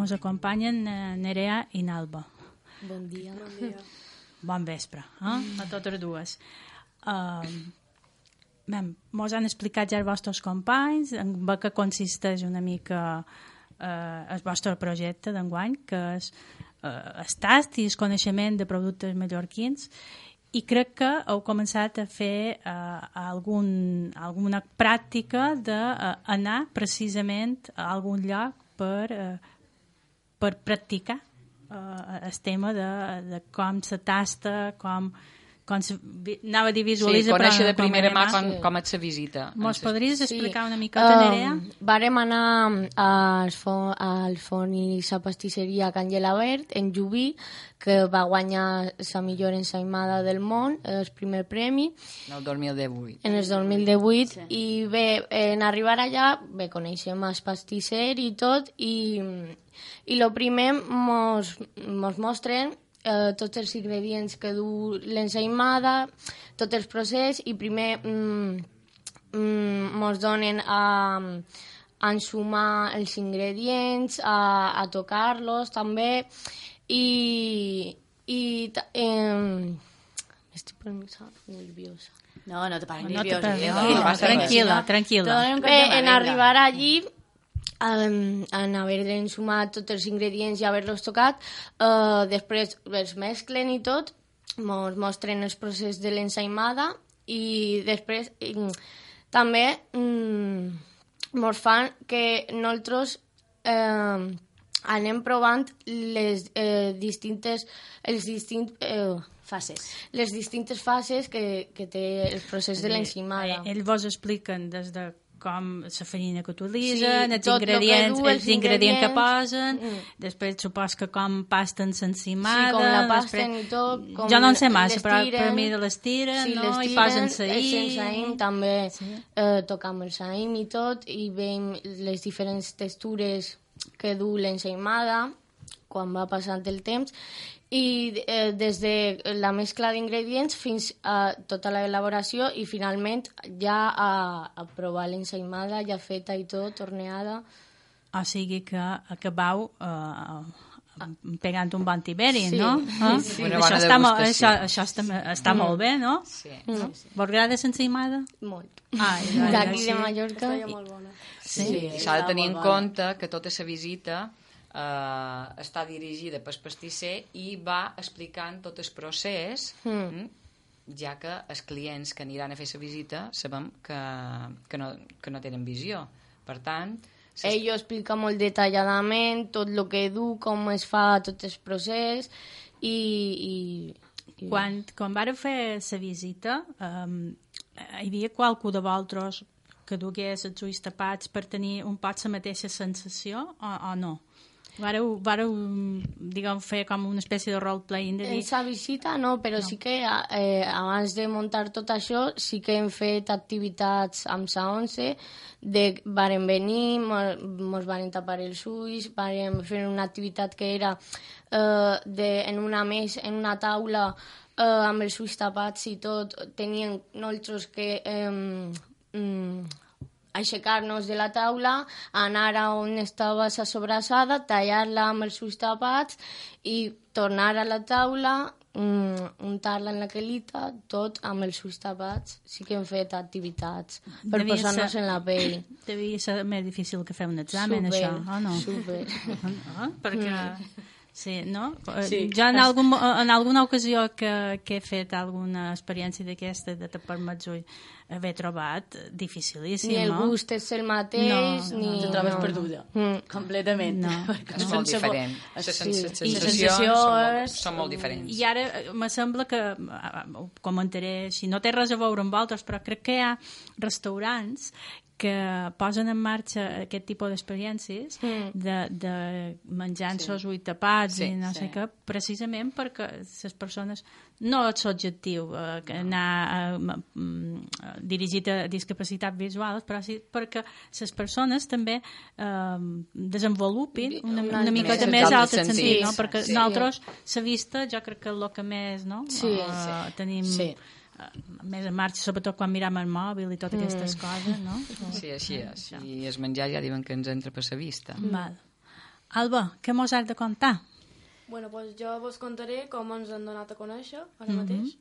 Ens acompanyen Nerea i Nalba. Bon dia. Bon dia. Bon vespre, eh? A totes dues. Uh, Mos han explicat ja els vostres companys en què consisteix una mica uh, el vostre projecte d'enguany, que és uh, el tast i el coneixement de productes mallorquins, i crec que heu començat a fer uh, algun, alguna pràctica d'anar uh, precisament a algun lloc per, uh, per practicar uh, el tema de, de com se tasta, com... Com se, anava a dir visualitza, sí, conèixer però, de primera mà com, sí. com et se visita. Mos podries explicar sí. una micota, Nerea? Um, vàrem anar al, fo al forn i la pastisseria Can Gelabert, en Llubí, que va guanyar la millor ensaïmada del món, el primer premi. En el dos mil divuit. En el dos mil divuit. Sí. I bé, en arribar allà, bé, coneixem el pastisser i tot, i, i el primer mos, mos mostren Uh, tots els ingredients que du l'ensaïmada, tots els processos, i primer mm, mm, mos donen a, a ensumar els ingredients, a, a tocar-los també, i... i eh, estic pensant nerviosa. No, no te pares no nerviosa. Te no, no, tranquil·la, tranquil·la. Bé, en arribar allí, Um, en haver ensumat tots els ingredients i haver-los tocat, uh, després els mesclen i tot, mos mostren els processos de l'ensaïmada, i després um, també um, mos fan que nosaltres uh, anem provant les uh, distintes els distints uh, fases. Les distintes fases que, que té el procés de l'ensaïmada. Eh, ells vos expliquen des de com la farina que utilitzen, sí, els, ingredients, du, els, els ingredients que posen, mm. després supos que com pasten l'ensaïmada. Sí, com la pasten després... i tot. Com jo no en sé massa, però per mi les tiren, sí, no? Les tiren, i posen saïm. El saïm també, sí. eh, tocam el saïm i tot, i veiem les diferents textures que du l'ensaïmada quan va passant el temps, i eh, des de la mescla d'ingredients fins a tota l'elaboració, i finalment ja a, a provar l'ensaïmada ja feta i tot, torneada. O sigui que acabau eh, pegant un bon tiberi, sí. no? Eh? Sí. Això, està, mo això, això està, està mm. molt bé, no? Sí. no? Sí. Vos agrada l'ensaïmada? Molt. Ah, d'aquí sí. de Mallorca. Està molt bona. Sí, sí. S'ha de tenir en compte que tota la visita Uh, està dirigida pel pastisser i va explicant tot el procés, mm. ja que els clients que aniran a fer la visita sabem que, que, no, que no tenen visió. Per tant... Ell ho explica molt detalladament, tot el que du, com es fa tot el procés, i... i, i... Quan, quan vareu fer la visita, um, hi havia qualcú de vosaltres que dugués els ulls tapats per tenir un poc la mateixa sensació, o, o no? Vareu, vareu diguem, fer com una espècie de role-playing de dir... En sa visita no, però no. sí que eh, abans de muntar tot això sí que hem fet activitats amb sa once, de varen venir, mos, mos varen tapar els ulls, varen fer una activitat que era eh, de, en una mesa, en una taula, eh, amb els ulls tapats i tot, tenien nosaltres que... Eh, mm, aixecar-nos de la taula, anar a on estava la sobrassada, tallar-la amb els ulls tapats i tornar a la taula, mm, untar-la en la quelita, tot amb els ulls tapats. Sí que hem fet activitats per posar-nos en la pell. Devia ser més difícil que fer un examen, super, això, o no? Super, ah, perquè... Sí, no? Sí. Jo en, algun, en alguna ocasió que, que he fet alguna experiència d'aquesta de tapar-me els ulls, haver trobat dificilíssim, ni el no? gust és el mateix, no, ni... No, te trobes no. perduda, mm. completament. No. És molt diferent. Les sí. sensacions són molt, són molt diferents. I ara me sembla que, comentaré, si no té res a veure amb altres, però crec que hi ha restaurants que posen en marxa aquest tipus d'experiències mm. de, de menjant-se els ulls tapats sí, i no sí. sé què, precisament perquè les persones, no és l'objectiu eh, anar eh, dirigit a discapacitats visuals, però sí perquè les persones també eh, desenvolupin una, una, una mica més alt sentit, sentit no? Perquè sí. nosaltres la vista jo crec que és el que més no? sí, uh, sí. tenim sí. Uh, més en marxa, sobretot quan miram el mòbil i totes mm. aquestes coses, no? Sí, així és. I el menjar ja diuen que ens entra per la vista. Mm. Val. Alba, què mos has de contar? Bueno, pues jo vos contaré com ens han donat a conèixer ara Mhm. mateix.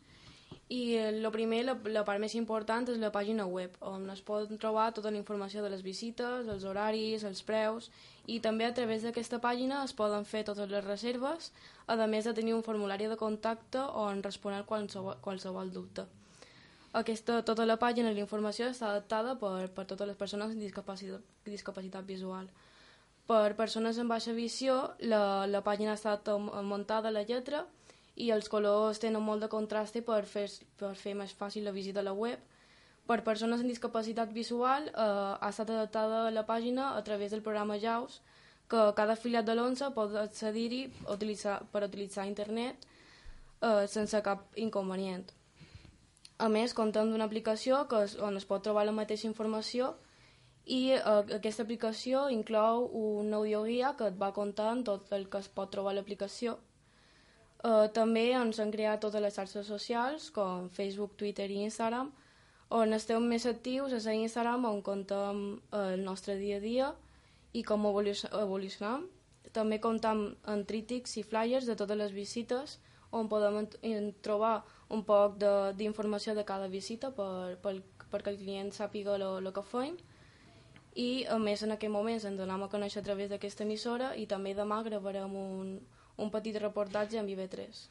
I el primer, la, la part més important és la pàgina web, on es pot trobar tota la informació de les visites, els horaris, els preus, i també a través d'aquesta pàgina es poden fer totes les reserves, a més de tenir un formulari de contacte on respondre qualsevol, qualsevol dubte. Aquesta, tota la pàgina i la informació està adaptada per, per totes les persones amb discapacitat, discapacitat visual. Per persones amb baixa visió, la, la pàgina està muntada a la lletra i els colors tenen molt de contraste per fer, per fer més fàcil la visita a la web. Per persones amb discapacitat visual eh, ha estat adaptada la pàgina a través del programa JAWS, que cada afiliat de l'ONCE pot accedir-hi utilitzar, per utilitzar internet eh, sense cap inconvenient. A més, comptem d'una aplicació que es, on es pot trobar la mateixa informació i eh, aquesta aplicació inclou un audioguia que et va contant tot el que es pot trobar a l'aplicació. Eh, també ens han creat totes les xarxes socials, com Facebook, Twitter i Instagram, on estem més actius és a Instagram, on contem eh, el nostre dia a dia i com evolucionam. També comptem amb tríptics i flyers de totes les visites, on podem trobar un poc d'informació de, de cada visita per, per, perquè el client sàpiga el que fem. I a més en aquell moment ens donem a conèixer a través d'aquesta emissora i també demà gravarem un, un petit reportatge amb I V tres.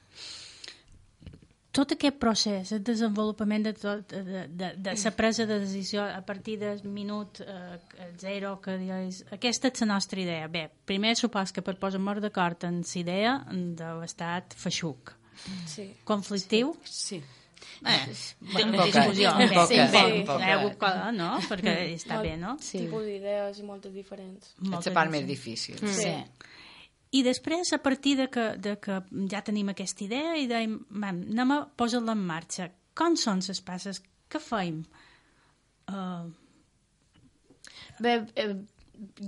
Tot aquest procés, el desenvolupament de, tot, de, de, de la presa de decisió a partir del minut eh, zero, que dius, aquesta és la nostra idea. Bé, primer supos que per posar-nos d'acord en la idea deu estat feixuc. Sí. Conflictiu? Sí. Eh, bueno, de discussió. Un poc, sí, sí, sí, sí. No? Perquè està Molt, bé, no? Sí. Tipus d'idees i moltes diferents. És la part més difícil. Mm. Sí. I després, a partir de que, de que ja tenim aquesta idea, i dèiem, anem a posar-la en marxa. Com són les passes? Què fem? Uh... Bé, eh,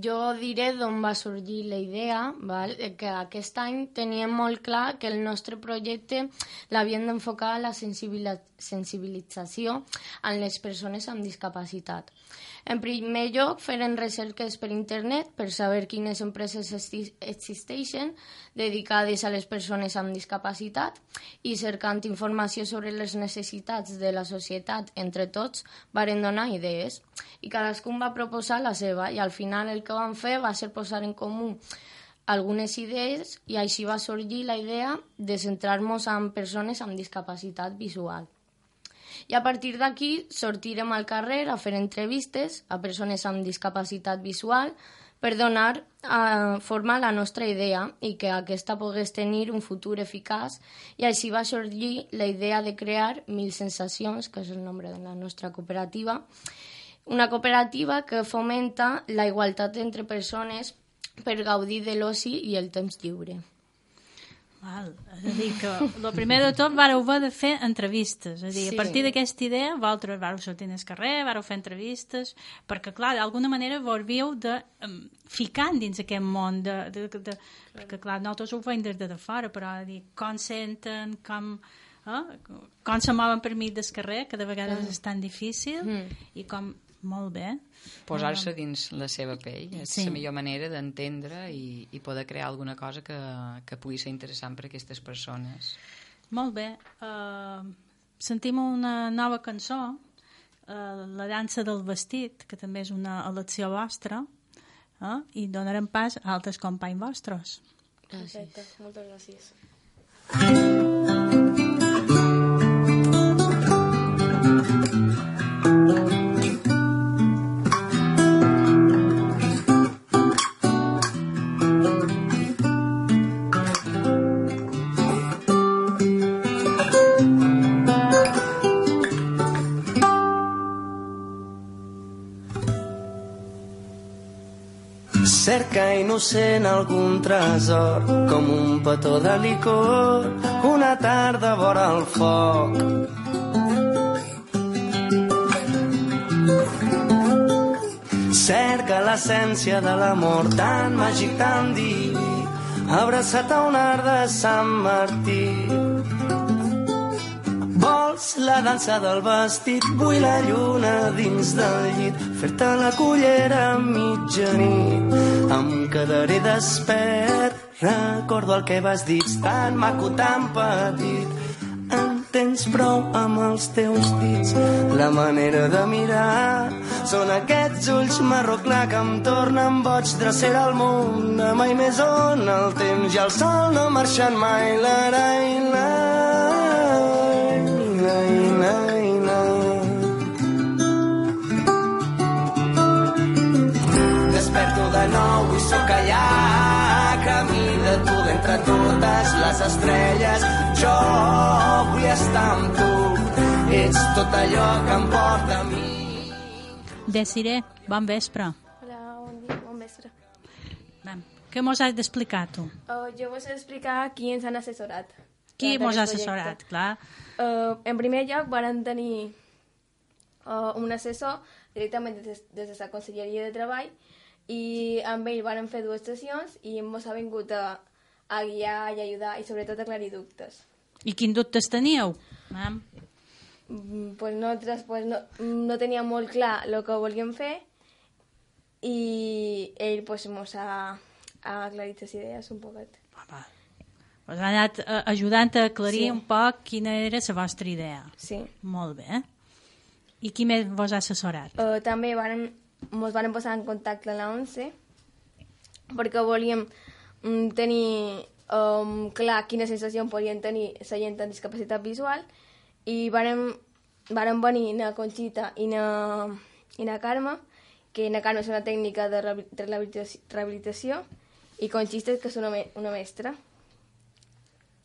jo diré d'on va sorgir la idea, val? Que aquest any teníem molt clar que el nostre projecte l'havíem d'enfocar a la sensibilització en les persones amb discapacitat. En primer lloc, feren recerques per internet per saber quines empreses existeixen dedicades a les persones amb discapacitat i cercant informació sobre les necessitats de la societat entre tots, varen donar idees. I cadascun va proposar la seva i al final el que vam fer va ser posar en comú algunes idees i així va sorgir la idea de centrar-nos en persones amb discapacitat visual. I a partir d'aquí sortirem al carrer a fer entrevistes a persones amb discapacitat visual per donar a forma a la nostra idea i que aquesta pogués tenir un futur eficaç i així va sorgir la idea de crear Mil Sensacions, que és el nom de la nostra cooperativa, una cooperativa que fomenta la igualtat entre persones per gaudir de l'oci i el temps lliure. Val. És a dir, que el primer de tot vareu haver de fer entrevistes. És a dir, sí. A partir d'aquesta idea, vosaltres vareu sortir al carrer, vareu fer entrevistes, perquè, clar, d'alguna manera vos havíeu de um, ficar dins aquest món, de, de, de, de, perquè, clar, nosaltres ho fem des de fora, però dir, com senten, com, eh? com se mouen per mig del carrer, que de vegades mm. és tan difícil, mm. i com, molt bé. Posar-se dins la seva pell és Sí. la millor manera d'entendre i, i poder crear alguna cosa que, que pugui ser interessant per a aquestes persones. Molt bé. Uh, sentim una nova cançó, uh, La dansa del vestit, que també és una elecció vostra, uh, i donarem pas a altres companys vostres. Perfecte, moltes gràcies. Cerca innocent algun tresor, com un petó de licor, una tarda vora el foc. Cerca l'essència de l'amor tan màgic, tan diví, abraçat a un art de Sant Martí. Vol vols la dansa del vestit, vull la lluna dins del llit, fer-te la cullera a mitjanit. Em quedaré despert, recordo el que vas dir, tan maco, tan petit. En tens prou amb els teus dits, la manera de mirar són aquests ulls marró clar que em tornen boig. Drecera al món, de mai més on el temps i el sol no marxen mai. La, la, la, la, la, la. Desperto de nou i sóc allà, camí de tu d'entre totes les estrelles. Jo vull estar amb tu, ets tot allò que em porta a mi. Desiree, bon vespre. Hola, bon dia, bon vespre. Vam. Què mos has d'explicar, tu? Uh, jo vos he d'explicar qui ens han assessorat. Qui mos ha assessorat, clar. Uh, en primer lloc, van tenir uh, un assessor directament des, des de la Conselleria de Treball i amb ell van fer dues sessions i ens ha vingut a, a guiar i ajudar i sobretot a aclarir dubtes. I quins dubtes teníeu? Vam. Mm, pues nosaltres pues no, no teníem molt clar el que volíem fer i ell pues, ens ha, ha aclarit les idees un poquet. Us ha anat uh, ajudant a aclarir Sí. un poc quina era la vostra idea. Sí. Molt bé. I qui més vos ha assessorat? Uh, també varen, ens van posar en contacte amb la ONCE perquè volíem um, tenir um, clar quina sensació podien tenir la gent amb discapacitat visual i varen, varen venir na Conxita i na, i na Carme, que na Carme és una tècnica de rehabilitació, rehabilitació i Conxita que és una, me, una mestra.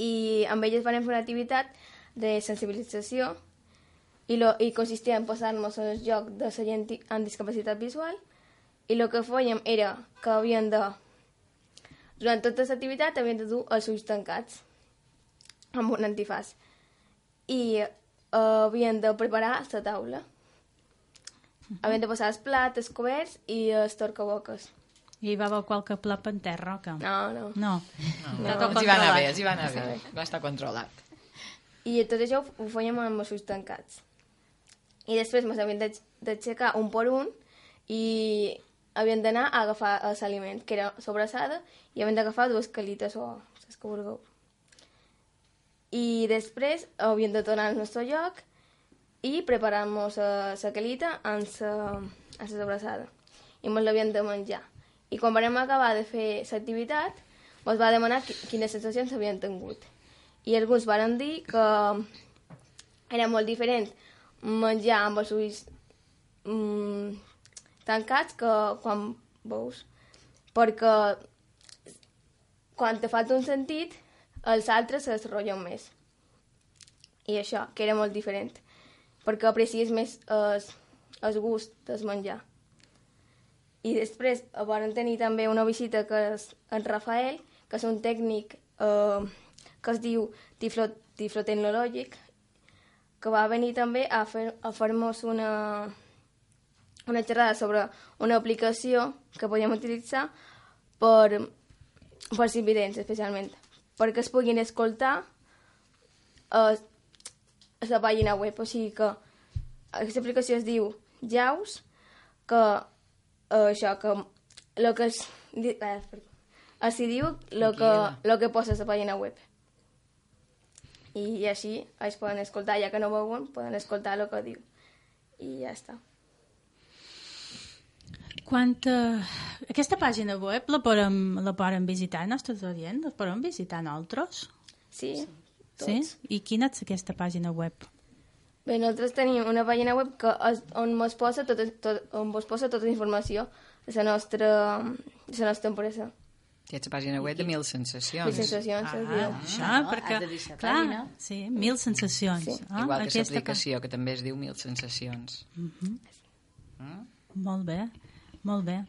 I amb elles van fer una activitat de sensibilització i, lo, i consistia en posar-nos en el lloc de la gent amb discapacitat visual i el que fèiem era que havien de, durant tota l'activitat havien de dur els ulls tancats amb un antifàs i uh, havien de preparar la taula. Havien de posar els plats, els coberts i els torcaboques. I hi va haver qualque plat en terra, o què? No, no. No. No, No, no, els hi va anar bé, els hi va anar bé. Va estar controlat. I tot això ho fèiem amb els ulls tancats. I després ens havien d'aixecar un per un i havien d'anar a agafar l'aliment, que era sobrassada, i havien d'agafar dues calites o les que vulgueu. I després havien de tornar al nostre lloc i preparar-nos la calita amb la sobrassada. I ens l'havien de menjar. I quan vam acabar de fer l'activitat, ens va demanar quines sensacions havien tingut. I alguns van dir que era molt diferent menjar amb els ulls mm, tancats que quan veus. Perquè quan te falta un sentit, els altres es rotllen més. I això, que era molt diferent. Perquè aprecies més el, el gust del menjar. I després van tenir també una visita que és en Rafael, que és un tècnic eh, que es diu tiflo, tiflotecnològic, que va venir també a fer a fer-nos una, una xerrada sobre una aplicació que podíem utilitzar per, per els invidents, especialment, perquè es puguin escoltar a, a la pàgina web. O sigui que aquesta aplicació es diu Jaws, que Uh, això, que el que es, eh, es diu el que, lo que posa a la pàgina web. I així es poden escoltar, ja que no veuen, poden escoltar el que diu. I ja està. Quan, uh, aquesta pàgina web la podem, la podem visitar els nostres oients? La podem visitar nosaltres? Sí, tots. Sí? I quina és aquesta pàgina web? Bé, nosaltres tenim una pàgina web que és, on mos posa tota, tot, on vos posa tota la informació de la nostra, de la nostra empresa. Hi ha la pàgina web de Mil Sensacions. Mil Sensacions, ah, es diu. Això, perquè, clar, sí, Mil Sensacions. Sí. Ah, Igual que l'aplicació, que també es diu Mil Sensacions. Uh -huh. mm? Molt bé, molt bé.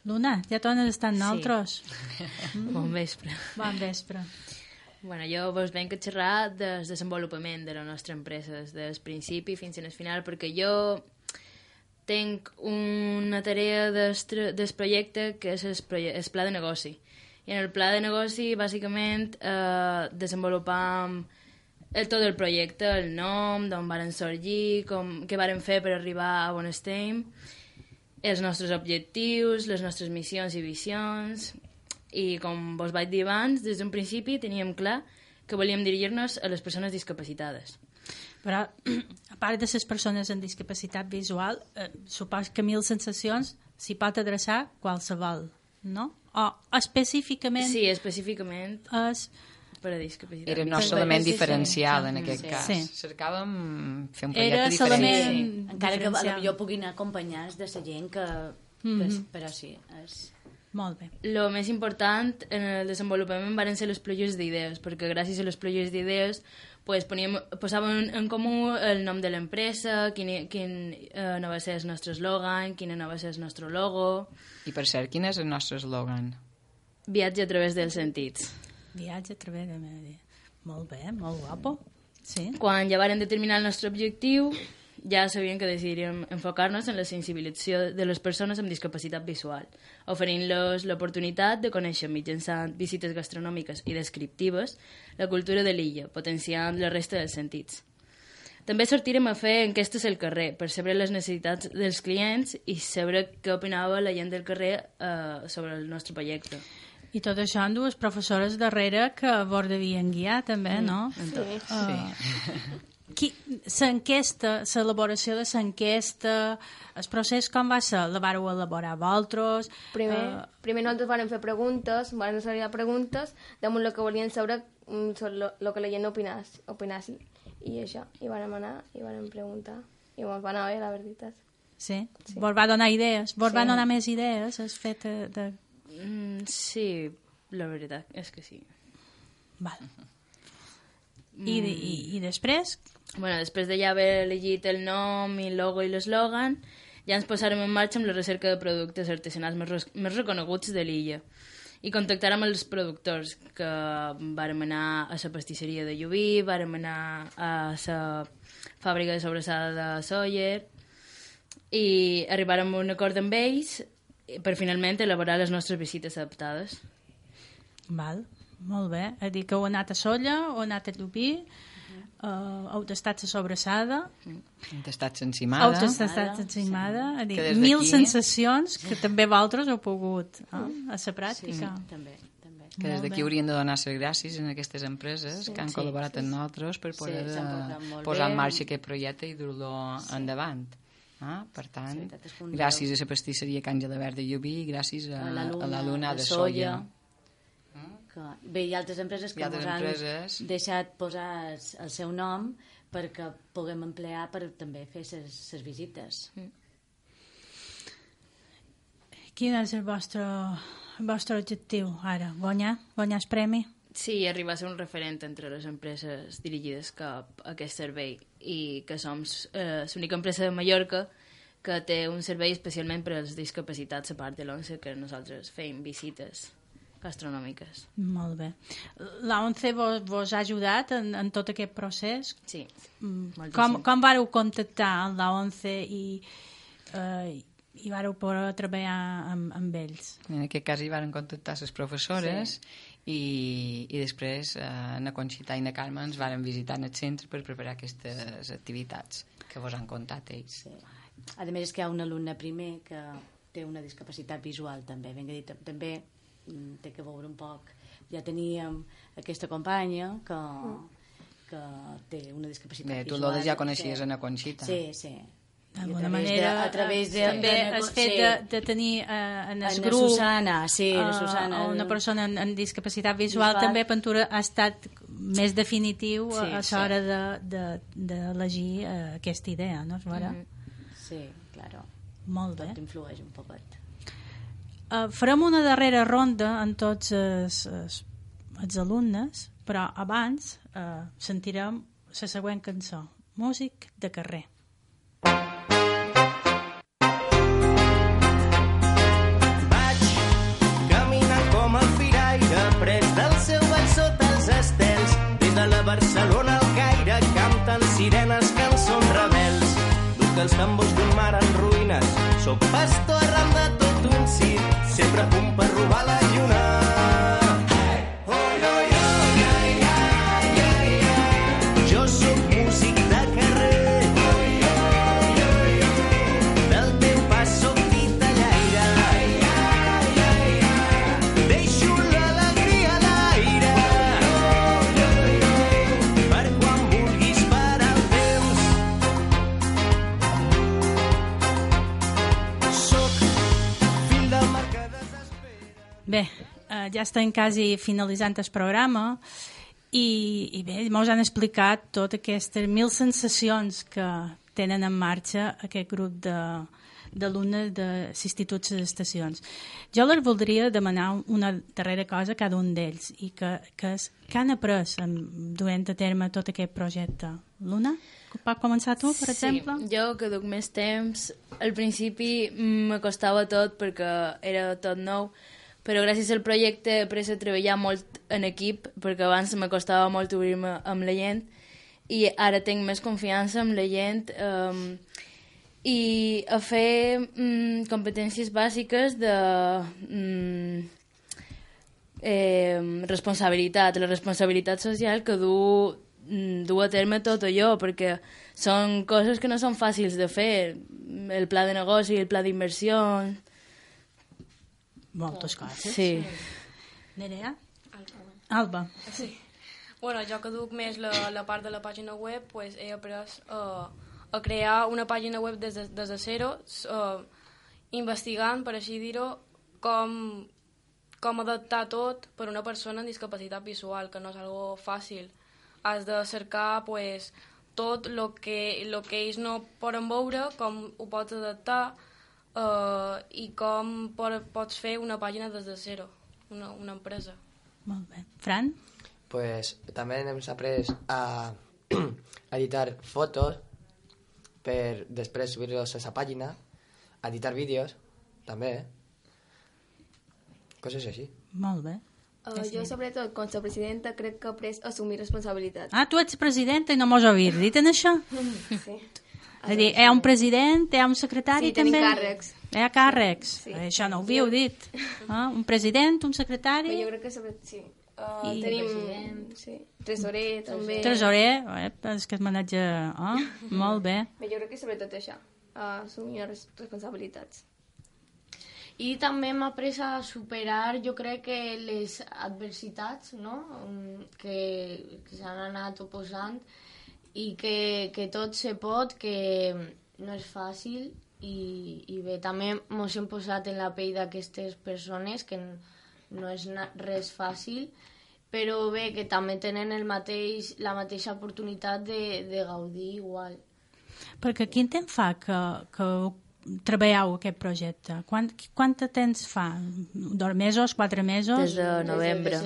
Luna, ja tornes a estar amb nosaltres. Sí. Mm. Bon vespre. Bon vespre. Bueno, jo vos venc a xerrar del desenvolupament de la nostra empresa, des del principi fins al final, perquè jo tinc una tarea del, del projecte que és el, el pla de negoci. I en el pla de negoci, bàsicament, eh, desenvolupam el, tot el projecte, el nom, d'on varen sorgir, com, què varen fer per arribar a on estem, els nostres objectius, les nostres missions i visions, i com vos vaig dir abans, des d'un principi teníem clar que volíem dirigir-nos a les persones discapacitades. Però, a part de les persones amb discapacitat visual, eh, supos que Mil Sensacions s'hi pot adreçar qualsevol, no? O específicament... Sí, específicament és... per a discapacitat. Era el nostre element diferencial, sí. en aquest sí. cas. Sí. Cercàvem fer un Era projecte diferent. Sí. Encara que potser puguin acompanyar de la gent que... Mm-hmm. Però sí, és... Molt bé. El més important en el desenvolupament van ser les pluges d'idees, perquè gràcies a les pluges d'idees pues, poníem, posàvem en comú el nom de l'empresa, quin, quin eh, no va ser el nostre eslògan, quin no va ser el nostre logo... I per cert, quin és el nostre eslògan? Viatge a través dels sentits. Viatge a través de... Molt bé, molt guapo. Sí. Quan ja varen determinar el nostre objectiu, ja sabíem que decidiríem enfocar-nos en la sensibilització de les persones amb discapacitat visual, oferint-los l'oportunitat de conèixer mitjançant visites gastronòmiques i descriptives la cultura de l'illa, potenciant la resta dels sentits. També sortirem a fer enquestes al carrer per saber les necessitats dels clients i saber què opinava la gent del carrer eh, sobre el nostre projecte. I tot això amb dues professores darrere que vos devien guiar també, no? Sí. Uh, sí. L'enquesta, l'elaboració de l'enquesta, el procés com va ser? La vareu elaborar vosaltres? Primer, Uh, primer nosaltres vam fer preguntes, vam fer preguntes damunt el que volien saber mm, sobre el que la gent opinàs, opinàs i això, i vam anar i vam preguntar i ens va anar bé, la veritat. Sí? Sí. Vos va donar idees? Vos Sí. va donar més idees? Has fet de... de... Mm, sí, la veritat és que sí. Val. I, de, i, i després? Bueno, després de ja haver elegit el nom i el logo i l'eslògan, ja ens posarem en marxa amb la recerca de productes artesanals més, res, més reconeguts de l'illa. I contactarem els productors, que vàrem anar a la pastisseria de Llubí, vàrem anar a la fàbrica de sobrassada de Sóller, i arribarem a un acord amb ells per finalment elaborar les nostres visites adaptades. Val, molt bé. És a dir, que heu anat a Sóller, heu anat a Llubí, Uh, heu tastat la sobrassada, heu tastat l'encimada, heu tastat l'encimada, sí. Mil sensacions que també vosaltres heu pogut eh, a la pràctica. Sí, també, també. Que des d'aquí haurien de donar les gràcies a aquestes empreses sí, que han sí, col·laborat sí, amb nosaltres per poder sí, uh, posar en marxa aquest projecte i dur-lo sí. endavant. Ah, per tant, sí, gràcies a la pastisseria Can Gelabert de Llubí, gràcies a, a, la, luna, a la Luna de, de Sóller. Que, bé, hi ha altres empreses que ens han empreses. deixat posar el, el seu nom perquè puguem emplear per també fer les visites. Mm. Quin és el vostre, el vostre objectiu ara? Guanyar? Guanyar el premi? Sí, arribar a ser un referent entre les empreses dirigides cap a aquest servei i que som eh, l'única empresa de Mallorca que té un servei especialment per als discapacitats a part de l'O N C E, que nosaltres fem visites gastronòmiques. Molt bé. La O N C E vos, vos ha ajudat en, en tot aquest procés? Sí. Mm. Com, com vareu contactar amb la O N C E i, eh, i vareu poder treballar amb, amb ells? En aquest cas hi van contactar les professores sí. i, i després eh, na Conxita i na Carme ens varen visitar en el centre per preparar aquestes activitats que vos han contat ells. Sí. A més és que hi ha un alumne primer que té una discapacitat visual també, ben dit, també té que veure un poc. Ja teníem aquesta companya que, que té una discapacitat Bé, visual. Tu l'Oda ja coneixies sí. a na Conxita. Sí, sí. D'alguna manera, de, a través de... també de, el fet sí. de, de tenir uh, en el en grup Susana, sí, uh, Susana, una persona en, en discapacitat visual, visual, també Pentura ha estat més definitiu sí, a l'hora sí. d'elegir de, de, uh, aquesta idea, no? Mm-hmm. Sí, claro. Molt bé. Tot influeix un poquet. Uh, farem una darrera ronda en tots els, els, els alumnes, però abans uh, sentirem la següent cançó, Músic de carrer. Vaig caminant com el firaire, pres del seu ball sota els estels, des de la Barcelona al Caire, canten sirenes, cançons rebels. Duc els tambors d'un mar en ruïnes, soc pastor arran de tot un cit, sempre a punt per robar la lluna. Hey! Oh, no, no, no, no, no, no. ja estem quasi finalitzant el programa i, i bé, mos han explicat totes aquestes mil sensacions que tenen en marxa aquest grup de d'alumnes de l'institut de les estacions. Jo les voldria demanar una darrera cosa a cada un d'ells i que, que és que han après duent a terme tot aquest projecte. Luna, pots començar tu, per exemple? Sí, jo que duc més temps, al principi m'acostava tot perquè era tot nou, però gràcies al projecte he après a treballar molt en equip, perquè abans m'acostava molt obrir-me amb la gent i ara tinc més confiança amb la gent eh, i a fer mm, competències bàsiques de mm, eh, responsabilitat, la responsabilitat social que du, mm, du a terme tot allò, perquè són coses que no són fàcils de fer, el pla de negoci, el pla d'inversió... Moltes coses. Sí. Nerea? Alba. Sí. Bueno, jo que duc més la, la part de la pàgina web, pues, he après uh, a crear una pàgina web des de, des de zero, uh, investigant, per així dir-ho, com, com adaptar tot per una persona amb discapacitat visual, que no és algo fàcil. Has de cercar pues, tot el que, lo que ells no poden veure, com ho pots adaptar uh, i com pot, pots fer una pàgina des de zero, una, una empresa. Molt bé. Fran? Pues també hem après a editar fotos per després subir-los a la pàgina, editar vídeos, també, coses així. Molt bé. Uh, jo, sobretot, com a presidenta, crec que he après a assumir responsabilitats. Ah, tu ets presidenta i no mos havia dit en això? Sí. És a dir, hi ha un president, hi ha un secretari sí, també? Sí, tenim càrrecs. Hi ha càrrecs? Sí. Això no ho havíeu dit. Ah, un president, un secretari... Però jo crec que sobre... sí. Uh, I... Tenim sí. tresorer, també. Tresorer, eh? És que es maneja... Oh, molt bé. Però jo crec que sobretot això, uh, assumir res responsabilitats. I també m'ha après a superar, jo crec que les adversitats, no?, que, que s'han anat oposant i que, que tot se pot, que no és fàcil i, i bé, també mos hem posat en la pell d'aquestes persones que no és res fàcil, però bé, que també tenen el mateix, la mateixa oportunitat de, de gaudir igual. Perquè quin temps fa que, que treballeu aquest projecte? Quant, quant de temps fa? Dos mesos, quatre mesos? Des de novembre.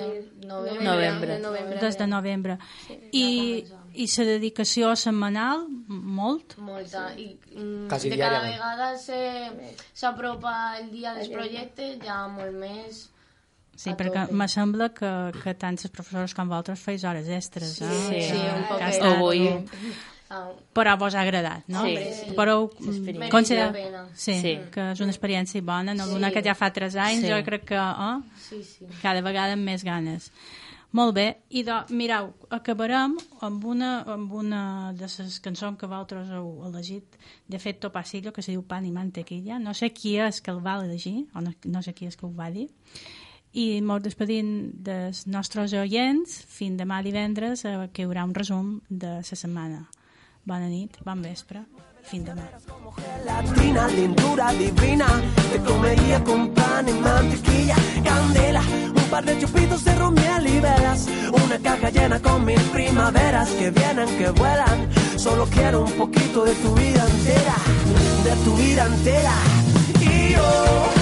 Novembre. Novembre. novembre. Des de novembre. Sí, I, I la dedicació setmanal, molt? Molta. I mm, Quasi de cada diàriament. vegada s'apropa el dia del projecte, ja molt més... Sí, perquè me sembla que, que tant els professors com vosaltres feis hores extres. Sí, eh? sí, un poc. Avui. Però vos ha agradat, no? Sí, sí. Però considera... Sí, sí, que és una experiència bona. En alguna sí. que ja fa tres anys, sí. jo crec que oh, sí, sí. cada vegada amb més ganes. Molt bé, i do, mireu, acabarem amb una, amb una de les cançons que vosaltres heu elegit, de Fetto Pasillo, que se diu Pan i Mantequilla. No sé qui és que el va elegir, o no, no sé qui és que ho va dir, i mos despedim dels nostres oients fins demà divendres, eh, que hi haurà un resum de la setmana. Bona nit, bon vespre, fins demà. Latina, lindura divina, te comería con pan y mantequilla, candela, un par de chupitos de ron, miel y velas, una caja llena con mil primaveras que vienen, que vuelan. Solo quiero un poquito de tu vida entera, de tu vida entera. Y yo